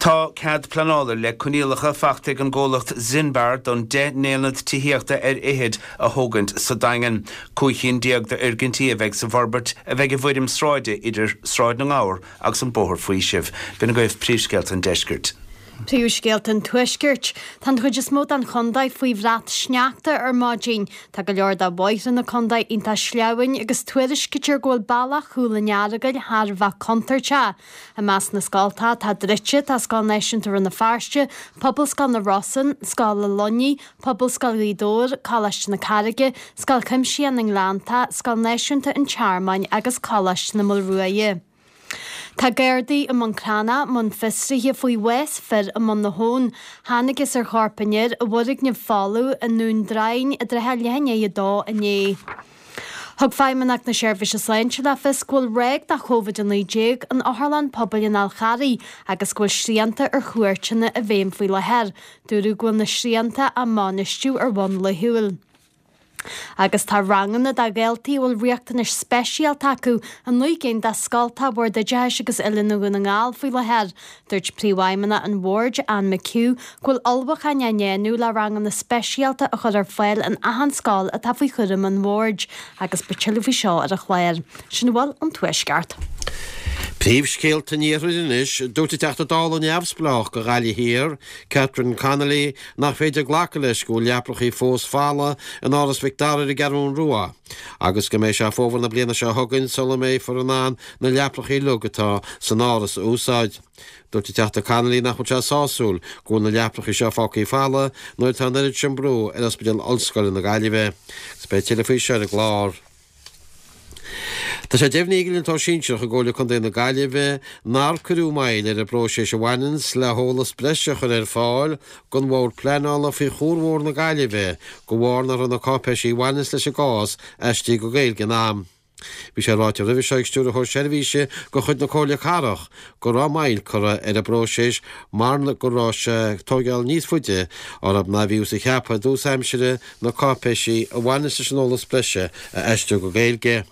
Tá cead pleanála le coinníollacha faighte ag an gcomhlacht Zinbar don deich n-aonad tithíochta ar fhichead a thógaint sa Daingean. Cúig chinn déag d'fhoirgintí a bheidh sa bhforbairt a bheidh i bhfoirm sráide idir Sráid na nGabhar agus an Bóthar Faoisimh. B'in agaibh príomhscéalta an deiscirt. Príomhscéalta an Tuaiscirt. Tá an chuid is mó den chontae faoi bhrat sneachta ar maidin. Tá go leor de bhóithre na contae iontach sleamhain agus tuairiscítear go bhfuil bealach Chúil an Earagail thar a bheith contúirteach. I measc na scoltacha atá druidte tá Scoil Náisiúnta Rann na Feirste, Pobalscoil na Rosann, Scoil na Luiní, Pobalscoil Ghaoth Dobhair, Coláiste na Carraige, Scoil Chuimsitheach na nGleanntach, Scoil Náisiúnta an Tearmainn agus Coláiste na Maolruaidhe. Tá Gardaí i mBun Cranncha i mbun fiosraithe faoi bhás fir i mBun na hAbhann. Thángthas ar chorp an fhir i bhfoirgneamh folamh i nDún Droighinn i dtrátha leath i ndiaidh a dó inné. Thug Feidhmeannacht na Seirbhíse Sláinte le fios go bhfuil ráig de Covid a naoi déag in Otharlann Pobail an Fháil Charraigh agus go bhfuil srianta ar chuairteanna i bhfeidhm faoi láthair. Dúradh go bhfuil na srianta á mbainistiú ar bhonn laethúil. Agus tá ranganna do dhaltaí a bhfuil riachtanais speisialta acu i naoi gcinn de scoltacha Bhord Oideachais agus Oiliúna Dhún na nGall faoi láthair. Dúirt Príomhfheidhmeannach an Bhoird, Anne McHugh, go bhfuil ullmhúcháin á ndéanamh le ranganna speisialta a chur ar fáil in achan scoil atá faoi chúram an Bhoird agus beidh tuilleadh faoi seo ar an chlár. Sin a bhfuil ón Tuaisceart. Príomhscéalta an Iarthair anois, dúirt an Teachta Dála neamhspleách do Ghaillimh Thiar, Catherine Connolly, nach féidir glacadh leis go bhfuil leaprachaí fós folamh in Áras Mhic Dara ar an gCeathrú Rua agus go mbeidh sé fómhar na bliana seo chugainn sula mbeifear in ann na leaprachaí uilig atá san áras a úsáid. Dúirt an Teachta Connolly nach bhfuil sé sásúil go bhfuil na leaprachaí seo fágtha folamh nuair atá an oiread sin brú ar Ospidéal Ollscoile na Gaillimhe. Agus beidh tuilleadh faoi seo ar an gclár. Tá sé deimhnithe ag Innealtóir Sinsearach i gComhairle Contae na Gaillimhe nár cuireadh moill ar an bpróiseas a bhaineanns le heolas breise a chur ar fáil don Bhord Pleanála faoi Chuarbhóthar na Gaillimhe de bharr nach raibh na cáipéisí a bhaineanns leis an gcás aistrithe go Gaeilge in am. Bhí sé ráite roimhe seo ag Stiúrthóir Seirbhíse de chuid na Comhairle Cathrach go raibh moill curtha ar an bpróiseas mar go raibh sé ag tóigeáil níos faide orthu ná a bhíothas a cheapadh i dtús aimsire na cáipéisí a bhaineas leis an eolas breise a aistriú go Gaeilge.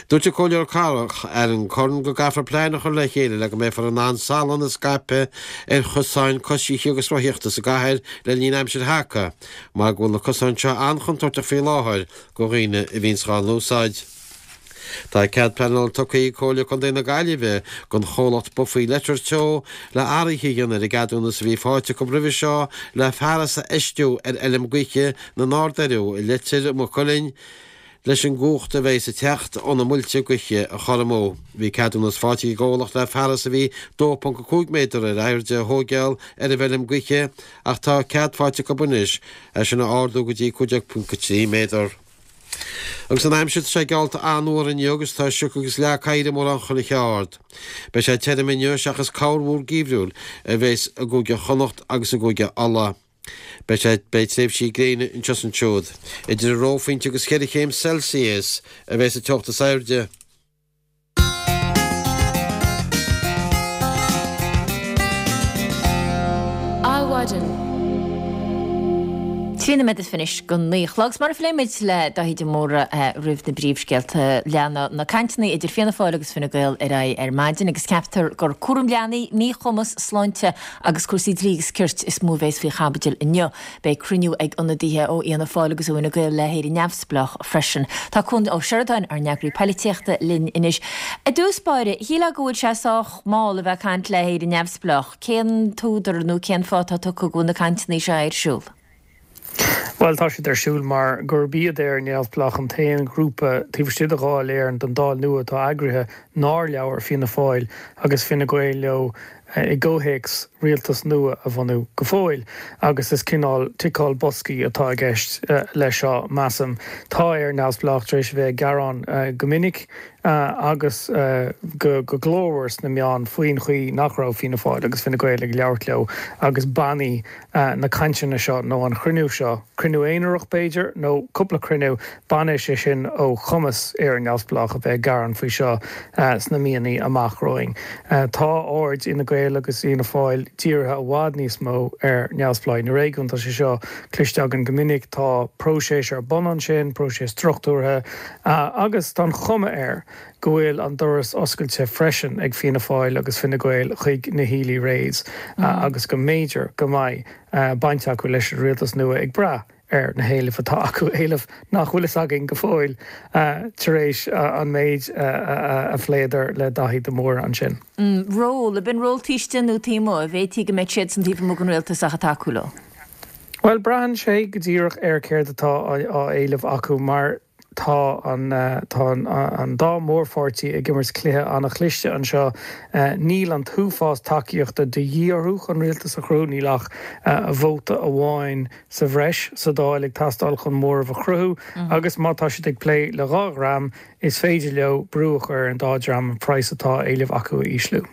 Dúirt an Comhairleoir Cathrach Aaron Curran go gcaithfear plean a chur le chéile le go mbeifear in ann salann a scaipeadh ar chosáin coisithe agus rothaíochta sa gcathair le linn aimsir thaca mar go bhfuil na cosáin seo an-chontúirteach faoi láthair do dhaoine a bhíonns dhá n-úsáid. Tá cead pleanála tugtha ag Comhairle Contae na Gaillimhe don chomhlacht Boffaí Letter Teo le athruithe a dhéanamh ar an gceadúnas a bhí faighte acu roimhe seo le fearas a fheistiú ar fheilm gaoithe na nArd-Doireadh i Leitir Maigh Cuilinn leis an gcumhacht a bheas ag teacht ó na muilte gaoithe a chothromú. Bhí ceadúnas faighte ag an gcomhlacht le fearas a bhí dó ponc a cúig méadar ar airde a thóigeáil ar an bhfeilm gaoithe ach tá cead faighte acu anois é sin a ardú go dtí cúig déag ponc a trí méadar. Agus an aimsir, tá sé geallta an-fhuar inniu agus tá sioc agus leac oighir i mórán chuile cheard. Beidh sé tirim inniu seachas corrmhúr geimhriúil a bheas i gCúige Chonnacht agus i gCúige Uladh. Beidh sé, beidh tréimhsí gréine anseo is ansiúd. Idir an reophointe agus cheithre chéim Celsius a bheas an teocht is airde. Adhmhaidin. Trí nóiméad is fiche anois go naoi a chlog. 'S mar a phléigh muid le Dáithí de Mórdha roimh na bpríomhscéalta, lean na cainteanna idir Fianna Fáil agus Fine Gael ar aghaidh ar maidin agus ceaptar gur cúram leanaí, míchumas, sláinte agus cúrsaí dlí agus cirt is mó a bheas faoi chaibidil inniu. Beidh cruinniú ag ionadaithe ó Fhianna Fáil agus ó Fhine Gael le hÉire Neamhspleách freisin. Tá Cuan Ó Seireadáin, ár n-eagraí poilitíochta, linn anois. I dtús báire, shílfeá go bhfuil sé sách mall a bheith ag caint le hÉire Neamhspleách. Cén t-údar nó cén fáth atá tugtha go bhfuil na cainteanna seo ar siúl? Bhuel, tá siad ar siúl mar gurb iad Éire Neamhspleách an t-aon ghrúpa taobh istigh de Dháil Éireann, den Dáil nua atá eagraithe, nár labhair Fianna Fáil agus Fine Gael leo i gcomhthéacs rialtas nua a bhunú go fóill. Agus is cineál ticeáil boscaí atá i gceist leis seo, measaim. Tá Éire Neamhspleách tar éis a bheith ag gearán go minic agus go glórmhar sna meáin faoin chaoi nach raibh Fianna Fáil agus Fine Gael ag labhairt leo agus bainfidh na cainteanna seo nó an chruinniú seo, cruinniú aonarach b'fhéidir nó cúpla cruinniú, bainfidh sé sin ó chumas Éire Neamhspleách a bheith ag gearán faoi seo sna míonna amach romhainn. Tá aird Fhine Gael agus Fhianna Fáil dírithe i bhfad níos mó ar neamhspleáigh na réigiún. Tá sé seo cloiste againn go minic. Tá próiseas ar bun ansin, próiseas struchtúrtha, agus tá an chuma air go bhfuil an doras oscailte freisin ag Fianna Fáil agus Fine Gael chuig na Healy-Raes agus go mb'fhéidir go mbeidh baint acu leis an rialtas nua ag brath ar na héilimh atá acu, éilimh nach bhfuil fhios againn go fóill tar éis an méid a phléadar le Daithí de Mórdha ansin. Ról, ab in ról taobh istigh nó taobh amuigh, an bhféadfaí go mbeadh siadsan taobh amuigh den rialtas ach ag tacú leo? Bhuel, braitheann sé go díreach ar céard atá á éileamh acu mar tá an tá an dá mhórpháirtí ag imirt cluiche an-chliste anseo. Níl an t-uafás tacaíochta de dhíth orthu chun rialtas a chruthú, níl ach vóta amháin sa bhreis sa Dáil ag teastáil chun móramh a chruthú agus má tá siad ag plé le dhá dhream, is féidir leo brú a chur ar an dá dhream an praghas atá á éileamh acu a ísliú.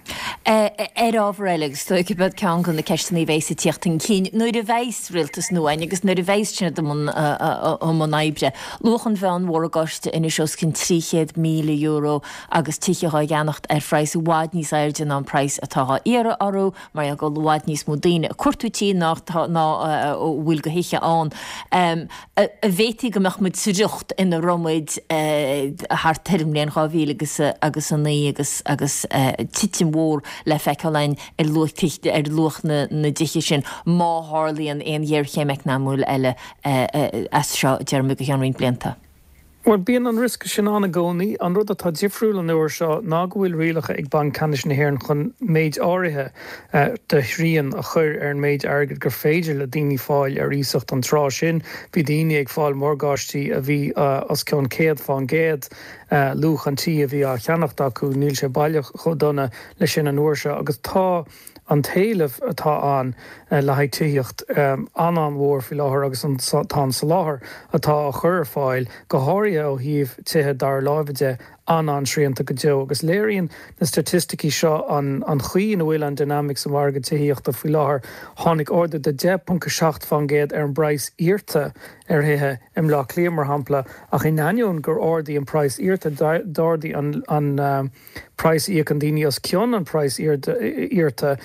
Ar ábhar eile, agus is dóigh gurb iad ceann de na ceisteanna a bheas ag tíocht chun cinn nuair a bheas rialtas nua ann agus nuair a bheas siad i mbun oibre, luach an mheánmhargaidh. mhorgáiste anois os cionn trí chéad míle euro agus tithe á gceannacht ar phraghas i bhfad níos airde ná an praghas atá á iarraidh orthu mar gheall go bhfuil i bhfad níos mó daoine ag cuartú tí ná ná a bhfuil de thithe ann. An bhféadfaí go mbeadh muid sa riocht ina raibh muid thart ar an mbliain dhá mhíle agus agus a naoi agus agus titim mhór le feiceáil ann ar luach ar luach na na dtithe sin má tharlaíonn aon ghéarchéim eacnamúil eile as seo deir muid go ceann roinnt blianta. Bhuel, bíonn an riosca sin ann i gcónaí. An rud atá difriúil an uair seo ná go bhfuil rialacha ag Banc Ceannais na hÉireann chun méid áirithe de shrian a chur ar an méid airgid gur féidir le daoine fáil ar iasacht. An tráth sin, bhí daoine ag fáil morgáistí a bhí os cionn céad fán gcéad luach an tí a bhí á cheannacht acu. Níl sé baileach chomh dona leis sin an uair seo agus tá an t-éileamh atá ann le haghaidh tithíocht an-an-mhór faoi láthair agus tá an soláthar atá á chur ar fáil, go háirithe ó thaobh tithe dara láimhe de, an-an-srianta go deo. Agus léiríonn na staitisticí seo an chaoi ina bhfuil an dinimic sa mhargadh tithíochta faoi láthair. Tháinig ardú de deich ponc a seacht fán gcéad ar an bpraghas iarrta ar thithe i mBleá Cliath, mar shampla, ach in ainneoin gur ardaigh an praghas iarrta, d'ardaigh an praghas a íocann daoine os cionn an praghas iarrta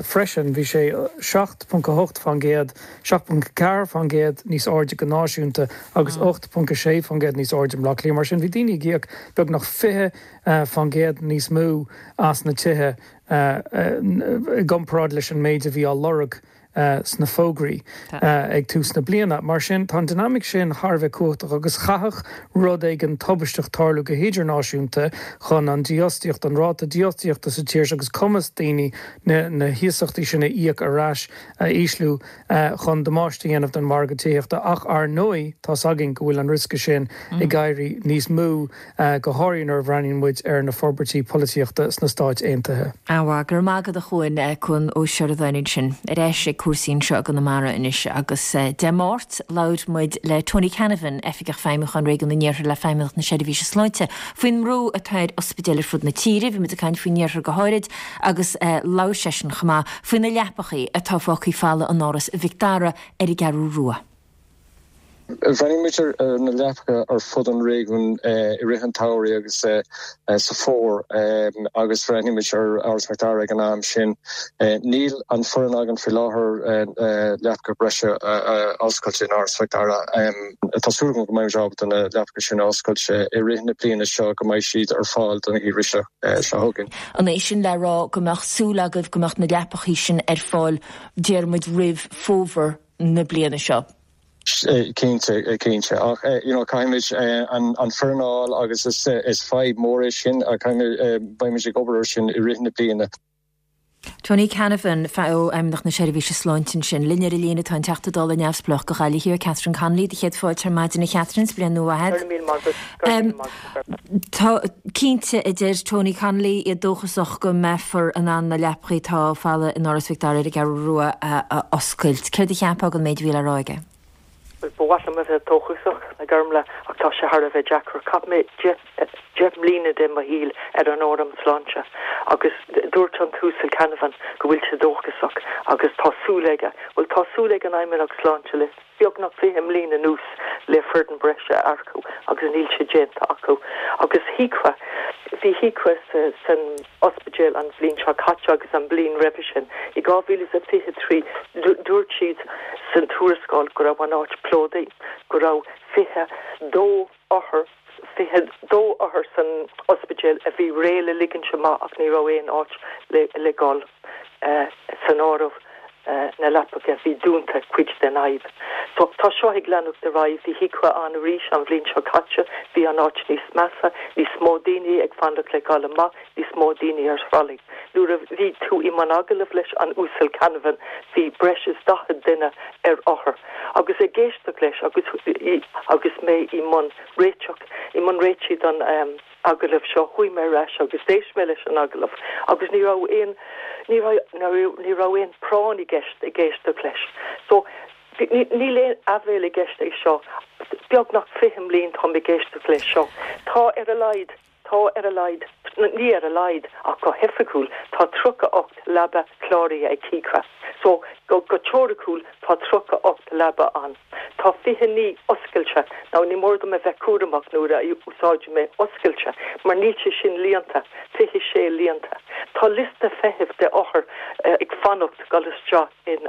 freisin. Bhí sé seacht ponc a hocht fán gcéad, seacht ponc a ceathair fán gcéad níos airde go náisiúnta agus ocht ponc a sé fán gcéad níos airde i mBleá Cliath. Mar sin, bhí daoine ag íoc beagnach fiche fán gcéad níos mó as na tithe i gcomparáid leis an méid a bhí á lorg sna fógraí ag tús na bliana. Mar sin, tá an dinimic sin thar a bheith cumhachtach agus chaithfeadh rud éigin tubaisteach tarlú go hidirnáisiúnta chun an dífhostaíocht, an ráta dífhostaíochta sa tír seo agus cumas daoine na hiasachtaí sin a íoc ar ais a ísliú chun damáiste a dhéanamh don mhargadh tithíochta. Ach ar ndóigh, tá's againn go bhfuil an riosca sin ag éirí níos mó, go háirithe nuair a bhreathnaíonn muid ar na forbairtí polaitíochta sna Stáit Aontaithe. An-mhaith, go raibh maith agat a Chuain, Cuan Ó Seireadáin ansin. Ar ais ag cúrsaí anseo i gConamara anois agus Dé Máirt labhair muid le Tony Canavan, Oifigeach Feidhmiúcháin Réigiún an Iarthair le Feidhmeannacht na Seirbhíse Sláinte, faoin mbrú atá ar ospidéil ar fud na tíre. Bhí muid ag caint faoin Iarthar go háirid agus labhair seisean chomh maith faoi na leapachaí atá fágtha folamh in Áras Mhic Dara ar an gCeathrú Rua. Bhreathnaigh muid ar na leapacha ar fud an réigiúin i rith an tsamhraidh agus sa fómhar agus bhreathnaigh muid ar Áras Mhic Dara ag an am sin. Níl an foireann againn faoi láthair leapacha breise a oscailt in Áras Mhic Dara. Tá súil agam go mbeidh muid ábalta na leapacha sin a oscailt i rith na bliana seo go mbeidh siad ar fáil don gheimhreadh seo chugainn. An é sin le rá go mbeadh súil agaibh go mbeadh na leapachaí sin ar fáil, deir muid, roimh fómhar na bliana seo? Cinnte, cinnte. Ach you know caithfimid an an foireann a fháil agus is is fadhb mór é sin caithfimid beimid ag obair ar sin i rith na bliana. Tony Canavan, ó Fheidhmeannacht na Seirbhíse Sláinte ansin. Linn ar an líne atá an Teachta Dála Neamhspleách do Ghaillimh Thiar, Catherine Connolly, do chéad fáilte ar maidin a Chatherine, is bliain nua mhaith agat. Tá cinnte, a deir Tony Connolly, iad dóchasach go mbeifear in ann na leapachaí atá folamh in Áras Mhic Dara ar an gCeathrú Rua a oscailt. Céard a cheapfá den méid a bhí le rá aige? Bhuel, ba mhaith liom a bheith dóchasach, a Ghormfhlaith, ach tá sé thar a bheith deacair. Chaith mé deich mbliana de mo shaol ar an Fhóram Sláinte agus dúirt an tUasal Canavan go bhfuil sé dóchasach agus tá súil aige, bhuel, tá súil ag an Fheidhmeannacht Sláinte le beagnach fiche mbliain anuas le foireann breise a earcú agus níl sé déanta acu. Agus HIQA, bhí HIQA san ospidéal an bhliain seo caite agus an bhliain roimhe sin. I dhá mhíle is a fiche trí, dúirt siad san tuarascáil go raibh an áit plódaithe, go raibh fiche dó othar, fiche dó othar san ospidéal a bhí réidh le ligint amach ach ní raibh aon áit le dhul san áireamh. na leapacha a bhí dúnta cuid den fhadhb. So tá seo ag leanacht ar aghaidh. Bhí HIQA ann arís an bhliain seo caite, bhí an áit níos measa, níos mó daoine ag fanacht le dhul amach, níos mó daoine ar thralaí. Nuair a bhí tú i mbun agallamh leis an Uasal Canavan bhí breis is daichead duine ar othar agus ag éisteacht leis agus agus mé i mbun réiteach i mbun réitigh don agallamh seo, chuaigh mé ar ais agus d'éist mé leis an agallamh agus ní raibh aon, ní raibh, ní raibh aon práinn i gceist ag éisteacht leis. So, níl aon aiféala i gceist é seo. Beagnach fiche mbliain táim ag éisteacht leis seo. Tá ar a laghad, tá ar a laghad Ní ar a laghad ach go hoifigiúil tá tríocha ocht leaba cláraithe ag CICRA. So go go teoiriciúil tá tríocha ocht leaba ann. Tá fiche naoi oscailte. Now ní mór dom a bheith cúramach nuair a úsáidim mé oscailte mar níl sé sin líonta, fiche sé líonta. Tá liosta feithimh de othair ag fanacht dul isteach in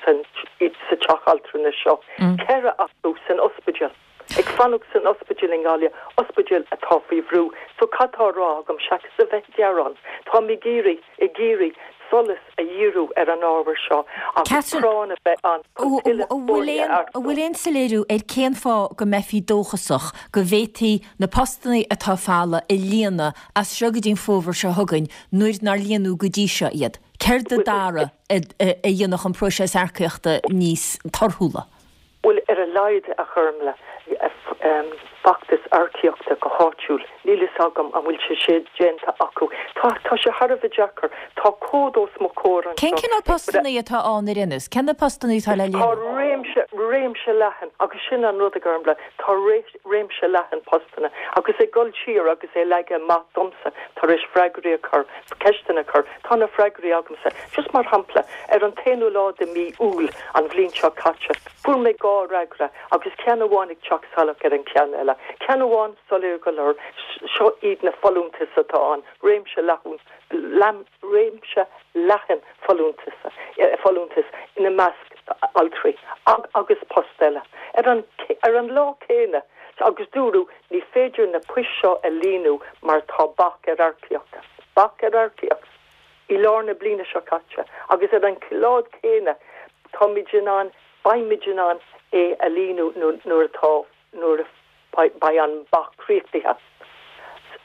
san sa teach altranais seo. Ceithre acu san ospidéal. Ag fanacht san ospidéal i nGaillimh, ospidéal atá faoi bhrú. So cad tá á rá agam seachas a bheith ag gearán? Táim ag iarraidh, ag iarraidh solas a dhíriú ar an ábhar seo agus práinn a bheith ann chun tuilleadh foirne a earcú. An bhfuil aon soiléiriú ar cén fáth go mbeifí dóchasach go bhféadfaí na postanna atá folamh a líonadh as seo go dtí an fómhar seo chugainn nuair nár líonadh go dtí seo iad? Céard a d'athraigh a dhéanfadh an próiseas earcaíochta níos torthúla? Bhuel, ar a laghad, a Ghormlaith, feachtas earcaíochta go háitiúil, níl fhios agam an bhfuil sé sin déanta acu. Tá, tá sé thar a bheith deacair. Tá comhad os mo chomhair anseo. Cén cineál postannaí atá ann ar aon nós? Cé na postannaí atá le Tá líonadh? réimse, réimse leathan, agus sin an rud, a Ghormlaith, tá réimse leathan postanna. Agus ag dul siar agus é leagtha amach domsa tar éis freagraí a chur, ceisteanna a chur, tá na freagraí agamsa. Just mar shampla, ar an t-aonú lá de mí Iúil an bhliain seo caite, fuair mé dhá fhreagra agus ceann amháin ag teacht salach ar an cheann eile. Ceann amháin soiléir go leor, seo iad na folúntais atá ann, réimse leathan, réimse leathan folúntas, folúntas, ina measc altraí agus post eile. Ar an, ar an lá céanna, agus dúradh ní féidir na poist seo a líonadh mar tá bac ar earcaíocht. Bac ar earcaíocht. I lár na bliana seo caite agus ar an lá céanna táimid in ann, beimid in ann é a líonadh nuair atá, nuair a beidh an bac críochnaithe.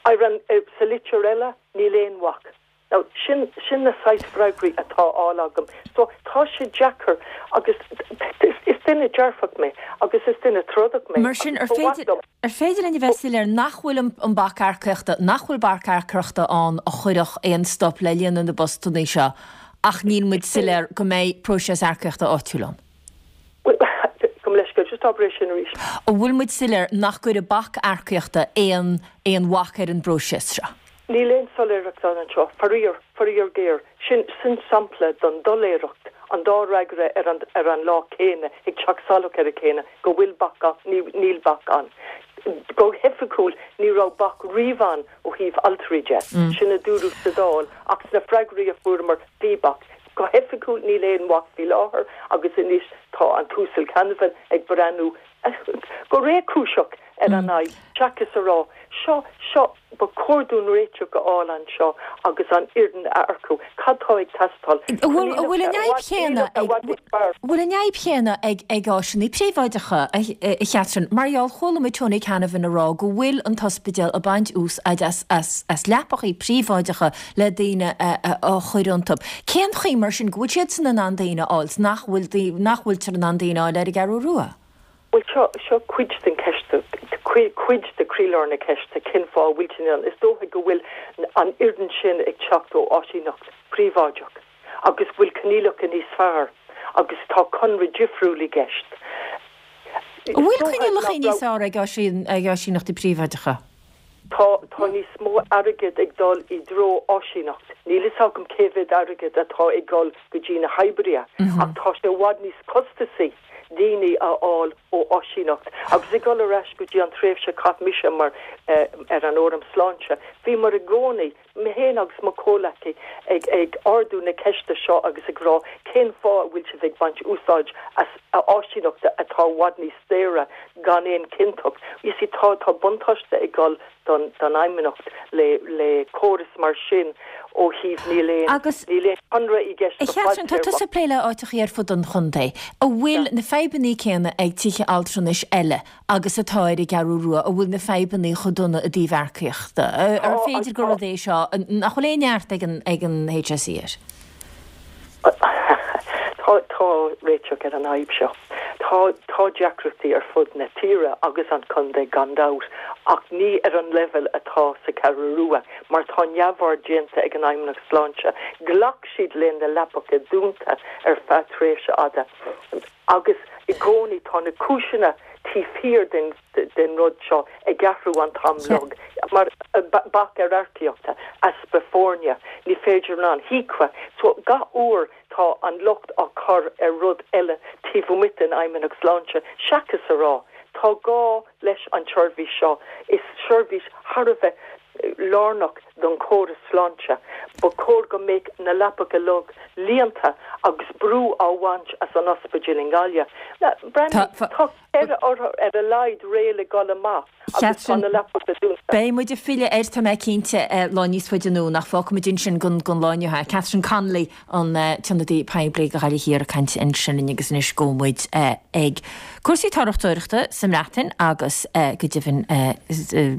Ar an, sa litir eile, níl aon bhac. Now, sin, sin na saghas freagraí atá á fháil agam. So, tá sé deacair agus is, is duine dearfach mé agus is duine trodach mé Mar sin, agus ar ba mhaith féidir, liom. ar féidir linn a bheith soiléir nach bhfuil an, an bac earcaíochta, nach bhfuil bac earcaíochta ann a chuirfeadh aon stop le líonadh na bpostanna seo ach níl muid soiléir go mbeidh próiseas earcaíochta áitiúil ann? Bhuel, gabh mo leithscéal, just abair é sin arís. An bhfuil muid soiléir nach gcuirfidh bac earcaíochta aon, aon bhac ar an bpróiseas seo? Níl aon soiléireacht ann anseo, faraor, faraor géar. Sin, sin sampla den doiléireacht, an dá fhreagra ar an, ar an lá céanna, ag teacht salach ar a chéile, go bhfuil bac ann, ní, níl bac ann. Go hoifigiúil, ní raibh bac riamh ann ó thaobh altraí de, sin a dúradh sa Dáil, ach sna freagraí a fuaireamar, bhí bac. Go hoifigiúil, níl aon bhac faoi láthair agus anois tá an tUasal Canavan ag breathnú go réchúiseach ar an fhadhb, seachas a rá, seo, seo, ba chóir dúinn réiteach a fháil anseo agus an fhoireann a earcú. Cad tá ag teastáil? An bhfuil an bhfuil an fhadhb chéanna ag, bhfuil an fhadhb chéanna ag ag áiseanna príobháideacha, a Chatherine? Mar gheall, chuala muid Tony Canavan ag rá go bhfuil an t-ospidéal ag baint úsáid as as as leapachaí príobháideacha le daoine a a chur iontu. Cén chaoi mar sin go bhfuil siadsan in ann daoine a fháil 's nach bhfuil nach bhfuiltear in ann daoine a fháil ar an gCeathrú Rua? Bhuel, seo, seo cuid den cheist, cuid de chroílár na ceiste, cén fáth a bhfuil sin ann. Is dócha go bhfuil an fhoireann sin ag teacht ó áisíneacht phríobháideach agus go bhfuil coinníollacha níos fearr agus tá conradh difriúil i gceist. An bhfuil coinníollacha níos fearr ag áisíneachtaí príobháideacha? Tá, tá níos mó airgid ag dul i dtreo áisíneacht. Níl fhios agam cé mhéad airgid atá ag dul go dtí na hoibrithe, ach tá sé i bhfad níos costasaí daoine a fháil ó áisíneacht. Agus ag dul ar ais go dtí an tréimhse a chaith mise mar ar an Fhóram Sláinte, bhíomar i gcónaí, mé féin agus mo chomhleacaí, ag ag ardú na ceiste seo agus ag rá cén fáth a bhfuil sibh ag baint úsáid as áisíneacht atá i bhfad níos daora gan aon chinnteacht. You see, tá tá buntáiste ag dul don don Fheidhmeannacht le le córas mar sin ó thaobh níl aon Agus níl aon chonradh i gceist A go Chatherine, tá fadtéarmach. tusa ag plé le áiteachaí ar fud an chontae. An bhfuil na fadhbannaí céanna ag tithe altranais eile agus atá ar an gCeathrú Rua, an bhfuil na fadhbannaí chomh dona i dtaobh earcaíochta? Ar Tá, féidir gur tá. rud é seo nach bhfuil aon neart ag an ag an H S E air? Tá tá réiteach ar an fhadhb seo. Tá tá deacrachtaí ar fud na tíre agus an chontae gan dabht, ach ní ar an leibhéal atá sa Cheathrú Rua, mar tá neamhaird déanta ag an Fheidhmeannacht Sláinte. Ghlac siad le na leapacha dúnta ar feadh tréimhse fhada agus i gcónaí tá na cúiseanna taobh thiar den den rud seo ag athrú an t-am uilig mar bac ar earcaíochta, easpa foirne, ní féidir an HIQA, so gach uair tá an locht á chur ar rud eile taobh amuigh den Fheidhmeannacht Sláinte seachas a rá tá gá leis an tseirbhís seo, is seirbhís thar a bheith lárnach don chóras sláinte. Ba chóir go mbeadh na leapacha uilig líonta agus brú á bhaint as an ospidéal i nGaillimh. Tá ceithre othar ar a laghad réidh le dul amach agus tá na leapacha dúnta. Beidh muid ag filleadh air, tá mé cinnte, lá níos faide anonn ach fágfaimid ansin don lá inniu é. Catherine Connolly, an t-ionadaí poiblí do Ghaillimh Thiar ag caint ansin linn agus anois gabhfaidh muid ag cúrsaí turasóireachta sa mBreatain agus go deimhin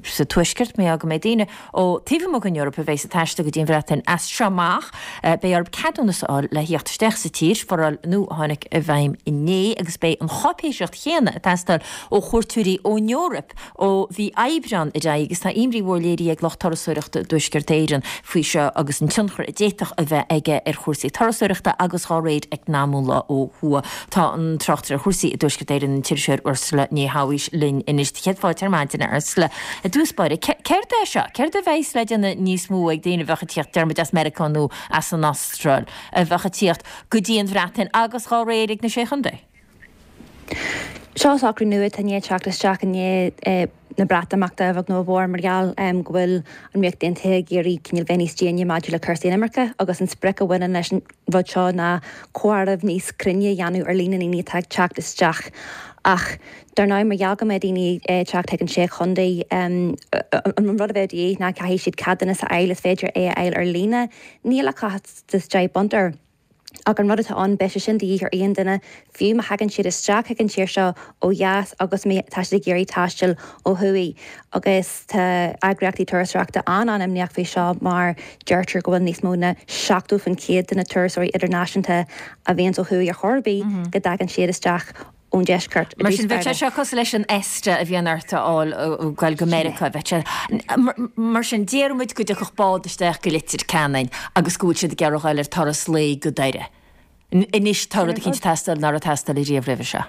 sa Tuaisceart mar go mbeidh daoine ó taobh amuigh den Eoraip a bheas ag taisteal go dtí an Bhreatain as seo amach. Beidh orthu ceadúnas a fháil le theacht isteach sa tír, foráil nua a tháinig i bhfeidhm inné agus beidh an cháipéisíocht chéanna ag teastáil ó chuairteoirí ón Eoraip ó mhí Aibreáin ar aghaidh agus tá imní mhór léirithe ag lucht turasóireachta i dTuaisceart Éireann faoi seo agus an tionchar a d'fhéadfadh a bheith aige ar chúrsaí turasóireachta agus dá réir eacnamúla ó thuaidh. Tá an tráchtaire ar chúrsaí i dTuaisceart Éireann, an t-iriseoir Ursula Ní Shabhaois linn anois. Céad fáilte ar maidin, a Ursula. I dtús báire, céard é seo? Céard a bheas le déanamh níos mó ag daoine a bheadh ag tíocht, deir muid as Meiriceá nó as an Astráil, a bheadh ag tíocht go dtí an Bhreatain agus dhá réir ag na Sé Chontae? Seo socrú nua atá i ndiaidh teacht isteach i ndiaidh na Breatimeachta a bheag nó a mhór mar gheall go bhfuil an Ríocht Aontaithe ag iarraidh cineál bheith níos déine maidir le cúrsaí inimirce agus an sprioc a bhaineann leis an rud seo ná comhaireamh níos cruinne a dhéanamh ar líon na ndaoine atá ag teacht isteach. Ach dar ndóigh mar gheall go mbeidh daoine ag teacht chuig an Sé Chontae an rud a bheidh de dhíth ná caithfidh siad ceadúnas a fháil, is féidir é a fháil ar líne, níl ach costas deich bpunt air. Ach an rud atá ann, beidh sé sin de dhíth ar aon duine, fiú má thagann siad isteach chuig an tír seo ó dheas agus má tá siad ag iarraidh taisteal ó thuaidh. Agus tá eagraíochtaí turasóireachta an-an-imníoch faoi seo mar deirtear go bhfuil níos mó ná seachtó faoin chéad de na turasóirí idirnáisiúnta a bhíonns ó thuaidh ar chor ar bith go dtagann siad isteach ón deisceart i Mar sin, bheadh sé seo cosúil leis an ESTA a bhíonn ort a fháil ag goil go Meiriceá. Bheadh sé, mar sin, déarfaidh muid go dtiocfadh bád isteach go Leitir Ceanainn agus go bhfuil siad ag iarraidh ghoil ar turas lae go Doire. Anois tá rud eicínt ag teastáil nach raibh ag teastáil ariamh roimhe seo.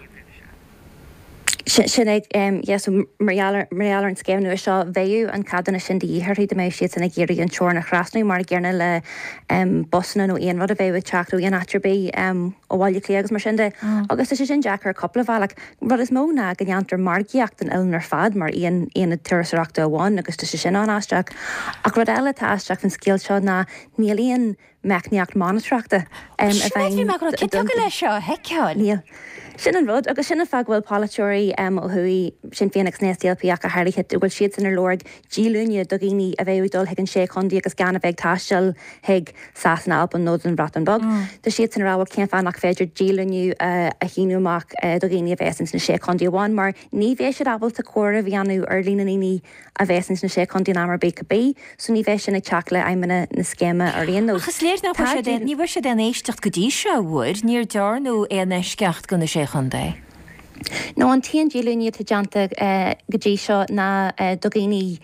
Sin é, yeah, so mar gheall ar, mar gheall ar an scéim nua seo, bheadh an ceadúnas sin de dhíth orthu dá mbeadh siadsan ag iarraidh an teorainn a thrasnú, mar an gcéanna le busanna nó aon rud a bheadh ag teacht ó aon áit ar bith ó Bhaile Átha Cliath agus mar sin de. Agus tá sé sin deacair ar cúpla bhealach. Rud is mó ná go ndéantar margaíocht den oileán ar fad mar aon aonad turasóireachta amháin agus tá sé sin an-aisteach. Ach rud eile atá aisteach faoin scéal seo ná níl aon meicníocht monatóireachta i Sin é, bhí mé ag rá, cé dtiocfadh leis seo a sheiceáil? Níl. Sin an rud, agus sin an fáth go bhfuil polaiteoirí ó thuaidh, Sinn Féin agus an SDLP ach go háirithe, go bhfuil siadsan ar lorg díolúine do dhaoine a bheadh ag dul chuig an Sé Chontae agus gan a bheith ag taisteal chuig Sasana, Albain nó don Bhreatain Bheag. Tá siadsan ag rá, bhuel cén fáth nach féidir díolúine a shíniú amach do dhaoine a bheas ins na Sé Chontae amháin mar ní bheidh siad ábalta comhaireamh a dhéanamh ar líon na ndaoine a bheas ins na Sé Chontae in am ar bith cibé, so ní bheidh sin ag teacht le aidhmeanna na scéime ar aon nós. Ach is léir nach bhfuair siad aon, ní bhfuair siad aon éisteacht go dtí seo, an bhfuair? Níor dearnadh aon eisceacht do na Sé Chontae. No, an t-aon díolúine atá déanta go dtí seo ná do dhaoine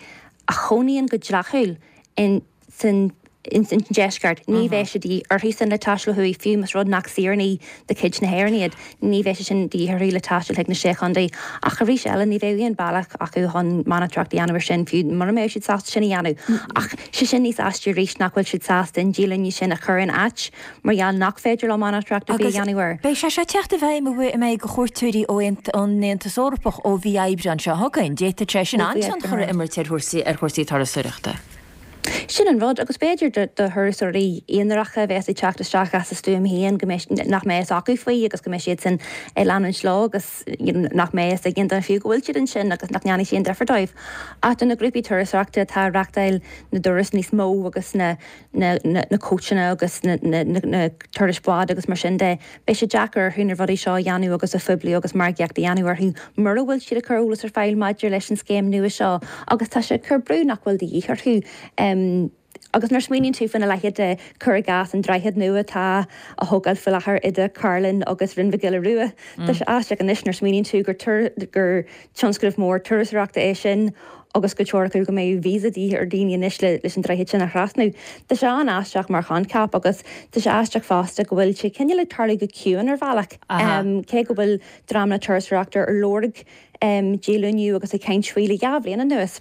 a chónaíonn go dleathúil in san ins an deisceart. Ní bheidh sé de dhíth orthusan le taisteal ó thuaidh, fiú más rud nach saoránaigh de chuid na hÉireann iad, ní bheidh sé sin de dhíth orthu le taisteal chuig na Sé Chontae. Ach arís eile, ní bheidh aon bhealach acu chun monatóireacht a dhéanamh ar sin, fiú mura mbeadh siad sásta sin a dhéanamh. Ach sé sin níos aistí arís nach bhfuil siad sásta an díolúine sin a chur in áit mar gheall nach féidir leo monatóireacht ar bith a Agus dhéanamh air. beidh sé seo ag teacht i bhfeidhm an mbeidh do chuairteoirí ó an Aontas Eorpach ó mhí Aibreáin seo chugainn. D'fhéadfadh sé sin Ó mhí an-tionchar a Aibreáin. imirt ar chúrsaí ar chúrsaí turasóireachta. Sin an rud, agus b'fhéidir do thurasóirí aonaracha a bheas ag teacht isteach as a stuaim féin go mbeidh, nach mbeidh fhios acu faoi agus go mbeidh siadsan ag leanúint leo agus nach mbeidh fhios ag aon duine fiú go bhfuil siad ansin agus nach ndéanfaidh sé aon difear dóibh. Ach do na grúpaí turasóireachta atá ag reachtáil na dturas níos mó agus na na na cóitseanna agus na na na turais bád agus mar sin de, beidh sé deacair orthu na rudaí seo a dhéanamh agus a phoibliú agus margaíocht a dhéanamh orthu mura bhfuil siad ag cur eolas ar fáil maidir leis an scéim nua seo agus tá sé ag cur brú nach bhfuil de dhíth orthu. Agus nuair a smaoiníonn tú faoina leithéid de, cuir i gcás, an droichead nua atá á thógáil faoi láthair idir Cairlinn agus Rinn Mhic Giolla Rua, tá sé aisteach anois nuair a smaoiníonn tú gur gur tionscnamh mór turasóireachta é sin agus go teoricú go mbeidh visa de dhíth ar daoine anois le leis an droichead sin a thrasnú. Tá sé an-aisteach mar choincheap agus tá sé aisteach fosta go bhfuil sé cineál ag tarlú go ciúin ar bhealach. Cé go bhfuil dream na turasóireachta ar lorg díolúine agus ag caint faoi le dhá bhliain anuas.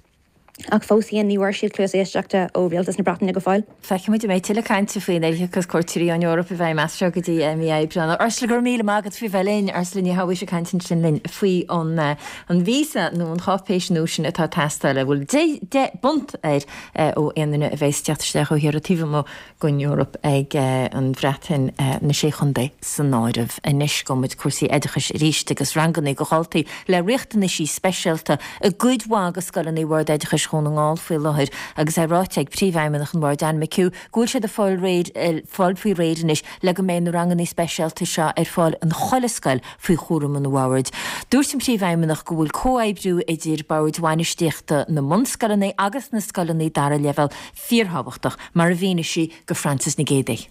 Ach fós féin ní bhfuair siad cluas éisteachta ó rialtas na Breataine go fóill. Feicfidh muid an mbeidh tuilleadh cainte faoin ilcheachas cuairteoirí ón Eoraip i bhfeidhm as seo go dtí mí Aibreáin. Ursula, go raibh míle maith agat faoi bheith linn. Ursula Ní Shabhaois ag caint ansin linn faoi an an víosa nó an cháipéis nua sin atá ag teastáil a bhfuil deich bpunt air ó aon duine a bheas ag teacht isteach ó thíortha taobh amuigh den Eoraip ag an Bhreatain, na Sé Chontae san áireamh. Anois gabhfaidh muid cúrsaí oideachais arís agus ranganna do dhaltaí le riachtanaisí speisialta i gcuid mhaith de scoileanna Bhord Oideachais Dhún na nGall faoi láthair agus é ráite ag Príomhfheidhmeannach an Bhoird Anne McHugh go bhfuil siad ag fáil réidh fáil faoi réir anois le go mbeidh na ranganna speisialta seo ar fáil in chuile scoil faoi chúram an Bhoird. Dúirt an Príomhfheidhmeannach go bhfuil comhoibriú idir boird bhainistíochta na mbunscoileanna agus na scoileanna dara leibhéal fíorthábhachtach, mar a mhínigh sí do Frances Nic Géadaigh.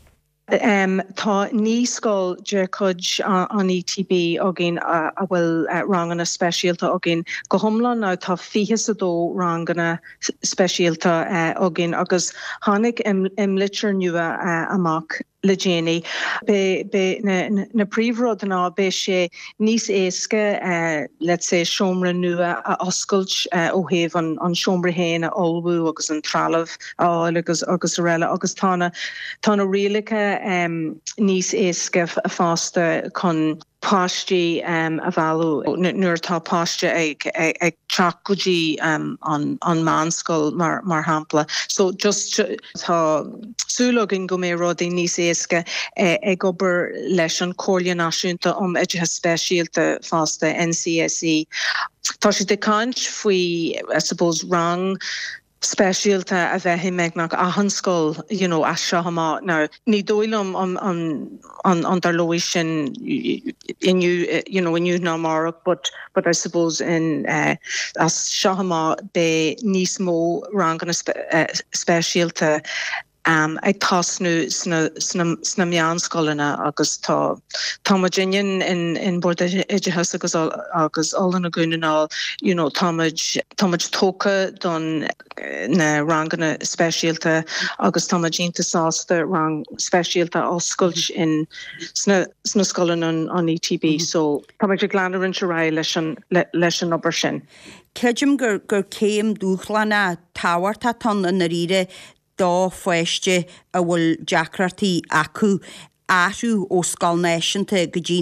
Tá naoi scoil de chuid an ETB againn a bhfuil ranganna speisialta againn. Go hiomlán now tá fiche is a dó ranganna speisialta againn agus tháinig imlitir nua amach le déanaí. Beidh na príomhrud ná beidh sé níos éasca let's say seomra nua a oscailt ó thaobh an seomra féin a ullmhú agus an trealamh a fháil agus agus araile agus tá na tá na rialacha níos éasca fosta chun páistí a mhealladh nuair atá páiste ag ag teacht go dtí an an meánscoil mar mar shampla. So just tá súil againn go mbeidh rudaí níos éasca ag obair leis an Chomhairle Náisiúnta um Oideachas Speisialta fosta, NCSE. Tá siad ag caint faoi I suppose rang speisialta a bheith i mbeagnach achan scoil you know as seo amach. Now ní dóigh liom an an an an dtarlóidh sin inniu you know inniu ná amárach but but I suppose in uh, as seo amach beidh níos mó ranganna spe, uh, speisialta um, ag tosnú sna, sna, sna meánscoileanna agus tá tá muidinne in, in Bord Oideachais agus agus Oiliúna Dhún na nGall you know, táimid táimid tógtha don na ranganna speisialta agus táimid iontach sásta rang speisialta oscailt in sna, sna scoileanna an, an ETB mm -hmm. so táimid ag leanúint ar aghaidh leis an le, leis an obair sin. Creidim gur gur céim dúshlánach tábhachtach atá ann i ndáiríre do pháiste a bhfuil deacrachtaí acu athrú ó scoil náisiúnta go dtí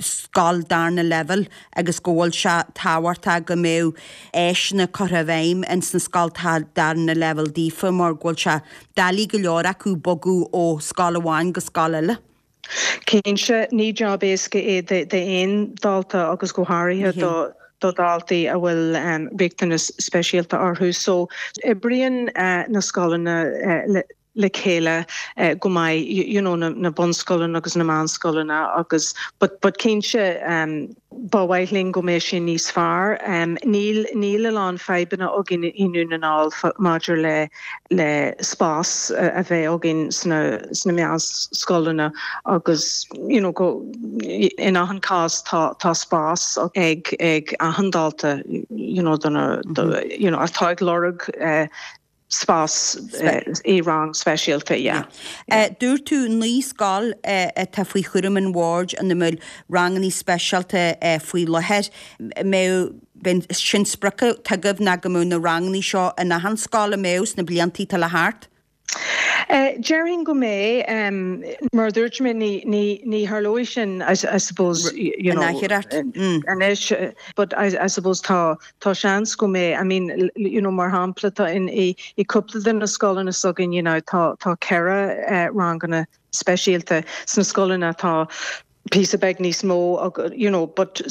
scoil darna leibhéal agus go bhfuil sé tábhachtach go mbeadh áiseanna curtha i bhfeidhm ins na scoltacha darna leibhéal daofa mar go bhfuil sé doiligh go leor acu bogadh ó scoil amháin go scoil eile. Cinnte, ní jab éasca é d'aon dalta agus go háirithe do do dhaltaí a bhfuil riachtanas speisialta orthu. So oibríonn na scoileanna le chéile go maith you know na na bunscoileanna agus na meánscoileanna agus but but cinnte um, ba mhaith linn go mbeidh sé níos fearr. Um, níl níl a lán fadhbanna againn i nDún na nGall maidir le le spás a bheith againn sna sna meánscoileanna agus you know go in achan cás tá tá spás ag ag achan dalta you know do na do, you know atá ag lorg uh, spás i rang speisialta yeah. Uh, Dúirt tú naoi scoil uh, atá faoi chúram an bhoird ina bhfuil ranganna speisialta uh, faoi láthair. Mbeidh sin sprioc agaibh ná go mbeadh na ranganna seo in achan scoil a mbeadh sna blianta atá le theacht? Uh, Déarfainn go mbeidh um, mar dúirt mé ní ní ní tharlóidh sin I, I suppose you know anois but I, I suppose tá tá seans go mbeidh I mean you know mar shampla tá in i, i cúpla de na scoileanna s'againn you know tá tá ceithre uh, ranganna speisialta sna scoileanna tá píosa beag níos mó you know but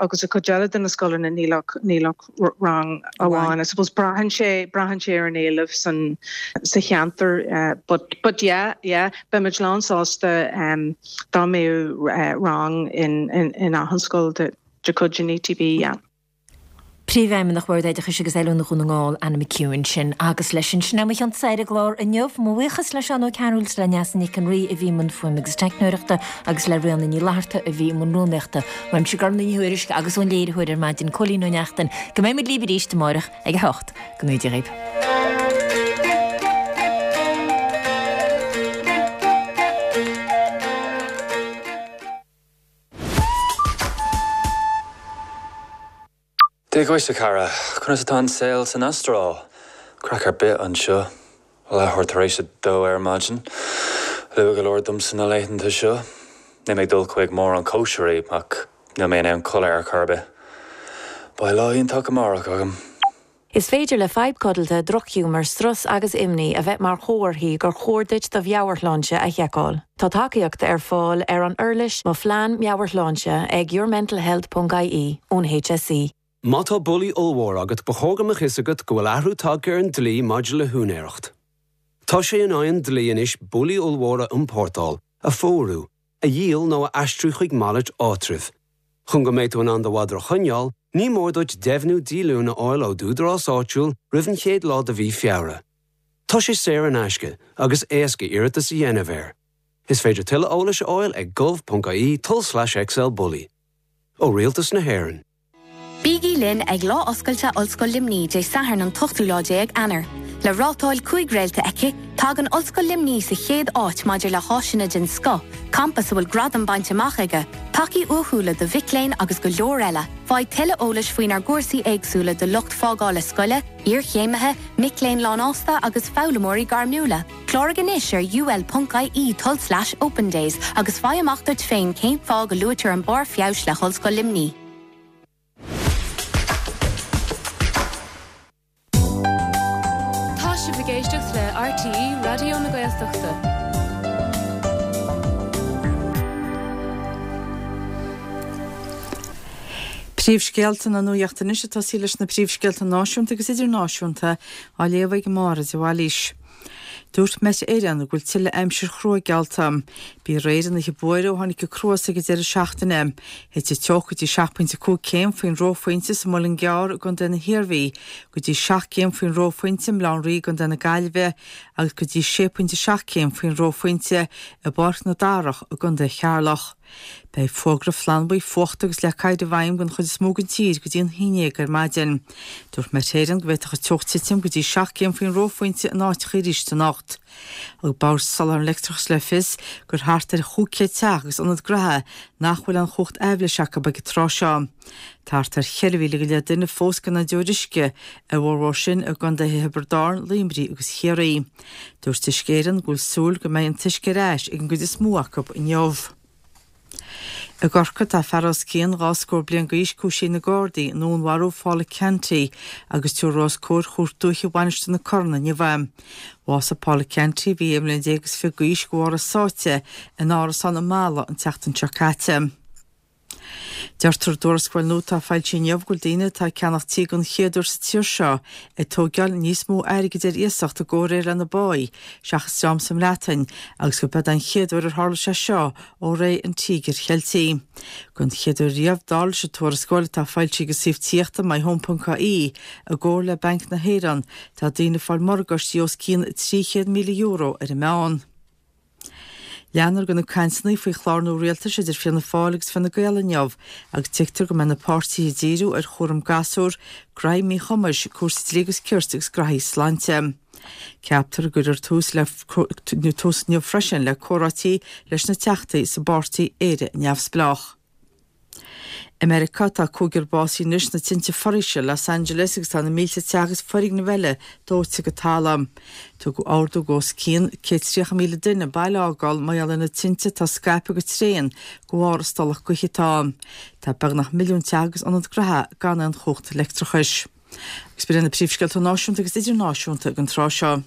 agus a cuid eile de na scoileanna níl ach níl ach rang amháin I suppose braitheann sé braitheann sé ar an éileamh san sa cheantar uh, but but yeah yeah beimid lán sásta um, dá mbeadh uh, rang in in in achan scoil de de chuid an ETB yeah. Príomhfheidhmeannach Bhord Oideachais agus Oiliúna Dhún na nGall, Anna McHugh sin agus leis sin sin é mo chionn-sa ar an gclár inniu. Mo bhuíochas le Seán Ó Cearúil is le Neasa Nic an Rí a bhí i mbun fuaime agus teicneoireachta agus le Ríona Ní Fhlatharta a bhí i mbun rúnaíochta. Uaimse Gormlaith Ní Thuairisg agus ón léiritheoir ar maidin Cóilín Ó Neachtain go mbeidh muid libh arís amárach ag a hocht. Go ngnóthaí Dia dhaoibh. Dia dhuit a chara, conas atá an saol san Astráil? Craic ar bith anseo. Leathuair tar éis a dó ar maidin. Luath go leor domsa na laethanta seo. Níl mé ag dul chuig mórán cóisirí ach níl mé in ann codladh ar chor ar bith. Beidh lá iontach amárach agam. Is féidir le fadhb codlata, drochghiúmar, strus agus imní a bheith mar chomharthaí gur chóir duit do mheabhairshláinte a sheiceáil. Tá tacaíocht ar fáil ar an uirlis Mo Phlean Meabhairshláinte ag yourmentalhealth.ie ón HSE. Má tá bullaí ollmhór agat ba chóir go mbeadh fhios agat go bhfuil athrú tagtha ar an dlí maidir le húinéireacht. Tá sé in aghaidh an dlí anois bullaí ollmhóra a iompórtáil, a phórú, a dhíol nó a aistriú chuig malairt áitribh. Chun go mbeidh tú in ann do mhadra a choinneáil, ní mór duit deimhniú díolúine a fháil ó d'údarás áitiúil roimh an chéad lá de mhí Feabhra. Tá sé saor in aisce agus éasca iarratas a dhéanamh air. Is féidir tuilleadh eolais a fháil ag gov.ie tulslais XL Bully. Ó Rialtas na hÉireann. Bígí linn ag Lá Oscailte Ollscoil Luimnigh Dé Sathairn an t-ochtú lá déag Eanáir. Le rátáil cúig réalta aici, tagann Ollscoil Luimnigh sa chéad áit maidir le háiseanna den scoth, campas a bhfuil gradam bainte amach aige, tacaí uathúla do mhic léinn agus go leor eile. Faigh tuilleadh eolais faoinár gcúrsaí éagsúla do lucht fágála scoile, iarchéimithe, mic léinn lánfhásta agus foghlaimeoirí gairmiúla. Cláraigh anois ar ul.ie tulslais open days agus faigh amach duit féin cén fáth go luaitear an barr feabhais le hOllscoil Luimnigh. Tá sibh ag éisteacht le RTÉ Raidió na Gaeltachta. Príomhscéalta na nuachta anois ag tosaí leis na príomhscéalta náisiúnta agus idirnáisiúnta á léamh ag Máire de Bhailís. Dúirt Met Éireann go bhfuil tuilleadh aimsir chrua geallta. B'í aréir an oíche buaire ó tháinig an cruas ag an deireadh seachtaine. Thit an teocht go dtí seacht bpointe cúig céim faoin reophointe sa Muileann gCearr i gContae na hIarmhí, go dtí seacht gcéim faoin reophointe i mBleá an Rí i gContae na Gaillimhe agus go dtí sé pointe seacht céim faoin reophointe i bPáirc na Darach i gContae Cheatharlach. Beidh fógra flannbhuí fuachta agus leac oighir i bhfeidhm don chuid is mó den tír go dtí an haon déag ar maidin. Dúirt Met Éireann go bhféadfadh an teocht titim go dtí seacht gcéim faoin reophointe in áiteacha arís anocht. Thug Bord Soláthair an Leictreachais le fios gur thart ar chúig chéad teach agus ionad gnaithe nach bhfuil aon chumhacht aibhléise acu ag an tráth seo. Tá thart ar cheithre mhíle go leith duine fós gan aon deoir uisce, a bhformhór sin i gcontaetha Thiobraid Árann, Luimnigh agus Chiarraí. Dúirt Uisce Éireann go bhfuil súil go mbeidh an t-uisce ar ais ag an gcuid is mó acu inniu. I gCorcaigh tá fear os cionn dhá scór bliain d'aois cúisithe ag na Gardaí i ndúnmharú Phaula Canty agus tabharfar os comhair Chúirt Dúiche Mhainistir na Corann inniu é. Bhásaigh Paula Canty, a bhí aon bhliain déag is fiche d'aois, de bharr a sáite in árasán i Mala an tseachtain seo caite. Deirtear i dtuarascáil nua atá foilsithe inniu go bhfuil daoine atá ag ceannach tí den chéad uair sa tír seo ag tógáil níos mó airgid ar iasacht i gcomhréir lena bpá seachas dream sa mBreatain agus gurb é an chéad uair ar tharla sé seo ó ré an Tíogair Cheiltigh. Den chéad uair riamh, dar leis an tuarascáil atá foilsithe ag an suíomh tithíochta myhome.ie i gcomhar le Banc na hÉireann, tá daoine ag fáil morgáistí os cionn trí chéad míle euro ar an meán. Leanfar de na cainteanna faoi chlár nua rialtais idir Fianna Fáil agus Fine Gael inniu agus tuigtear go mbeidh na páirtithe ag díriú ar chúram gasúr, gnaithí míchumais, cúrsaí dlí agus cirt agus gnaithí sláinte. Ceaptar go gcuirfear tús le tús inniu freisin le comhráití leis na teachtaí sa bpáirtí Éire Neamhspleách. I Meiriceá, tá cúigear básaithe anois sna tinte foraoise i Los Angeles agus tá na mílte teach agus foirgneamh eile dóite go talamh. Tugadh ordú d'os cionn céad tríocha míle duine baile a fhágáil mar gheall ar na tinte atá ag scaipeadh go tréan de bharr an stolladh gaoithe atá ann. Tá beagnach milliún teach agus ionad gnaithe gan aon chumhacht leictreachais. Agus b'in na príomhscéalta náisiúnta agus idirnáisiúnta ag an tráth seo.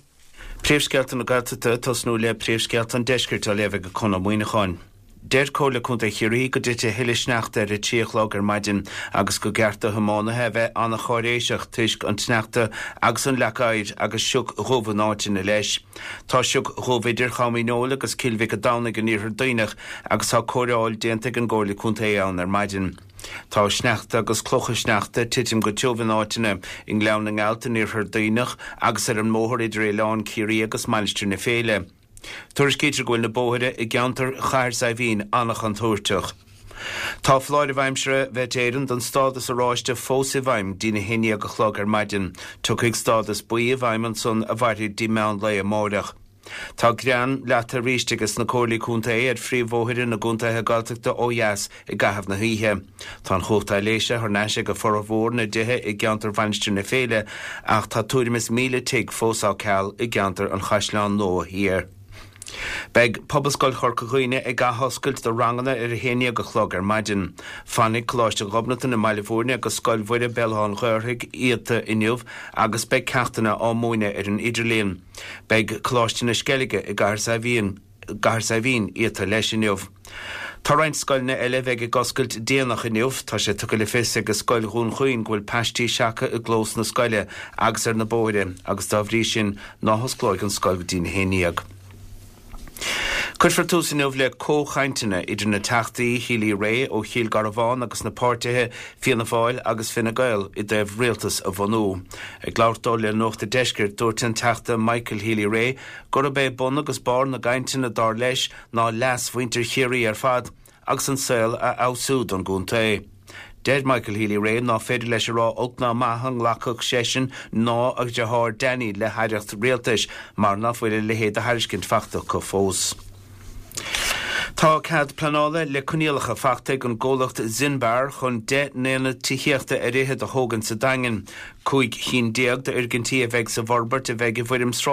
Príomhscéalta na Gaeltachta ag tosnú le príomhscéalta an Deiscirt á léamh ag Conn Ó Muíneacháin. Deir Comhairle Contae Chiarraí go dtitfidh a thuilleadh sneachta ar a trí a chlog ar maidin agus gur cheart do thiománaithe a bheith an-cháiréiseach toisc an tsneachta agus an leac oighir agus sioc dhubh in áiteanna leis. Tá sioc dhubh idir Cham Uí Neoill agus Cill Mhic an Domhnaigh in Iarthar Duibhneach agus tá cóireáil déanta ag an gComhairle Contae ann ar maidin. Tá sneachta agus clocha sneachta ag titim go tiubh in áiteanna i nGleann na nGealt in iarthar Duibhneach agus ar an mbóthar idir Oileán Ciarraí agus Mainistir na Féile. Tuairiscítear go bhfuil na bóithre i gceantar Chathair Saidhbhín an-chontúirteach. Tá foláireamh aimsire Mhet Éireann don stádas oráiste fós i bhfeidhm dtína haon déag a chlog ar maidin. Tiocfaidh stádas buí i bhfeidhm ansan a mhairfidh dtí meán lae amáireach. Tá grean leata arís ages na Comhairlí Contae ar phríomhbhóithre na gcontaetha Gaeltachta ó dheas i gcaitheamh na hoíche. Tá an chumhacht aibhléise thar n-ais ag formhór na dtithe i gceantar Mhainistir na Féile ach tá tuairim is míle tigh fós á ceal i gceantar an Chaisleáin Nua Thiar. Beidh Pobalscoil Chorca Dhuibhne ag athoscailt do ranganna ar a haon déag a chlog ar maidin. Fanfaidh Coláiste Ghobnatan i mBaile Bhúirne agus Scoil Mhuire Béal Átha an Ghaorthaidh iata inniu agus beidh ceachtanna á múineadh ar an idirlíon. Beidh Coláiste na Sceilge i gCathair Saidhbhín gCathair Saidhbhín iata leis inniu. Tá roinnt scoileanna eile a bheidh ag oscailt déanach inniu. Tá sé tugtha le fios ag Scoil Dhún Chaoin go bhfuil paistí seactha i gclós na scoile agus ar na bóithre agus dá bhrí sin ná hosclóidh an scoil go dtí a haon déag. Cuirfear tús inniu le comhchainteanna idir na Teachtaí Healy-Rae ó Chill Garbháin agus na páirtithe Fianna Fáil agus Fine Gael i dtaobh rialtas a bhunú. Ag labhairt dó le Nuacht an Deiscirt, dúirt an Teachta Michael Healy-Rae gurb é bun agus barr na gcainteanna dar leis ná leas mhuintir Chiarraí ar fad agus an saol a fheabhsú don gcontae. Deir Michael Healy-Rae ná féidir leis a rá olc ná maith an nglacfadh seisean ná a dheartháir Danny le haireacht rialtais mar ná fuil a leithéid de thairiscint fachta acu fós. Tá cead pleanála le coinníollacha fachta ag an gcomhlacht Zinbar chun deich n-aonad tithíochta ar fhichead a thógaint sa Daingean. Cúig chinn déag d'fhoirgintí a bheidh sa bhforbairt a bheidh i bhfoirm sráid.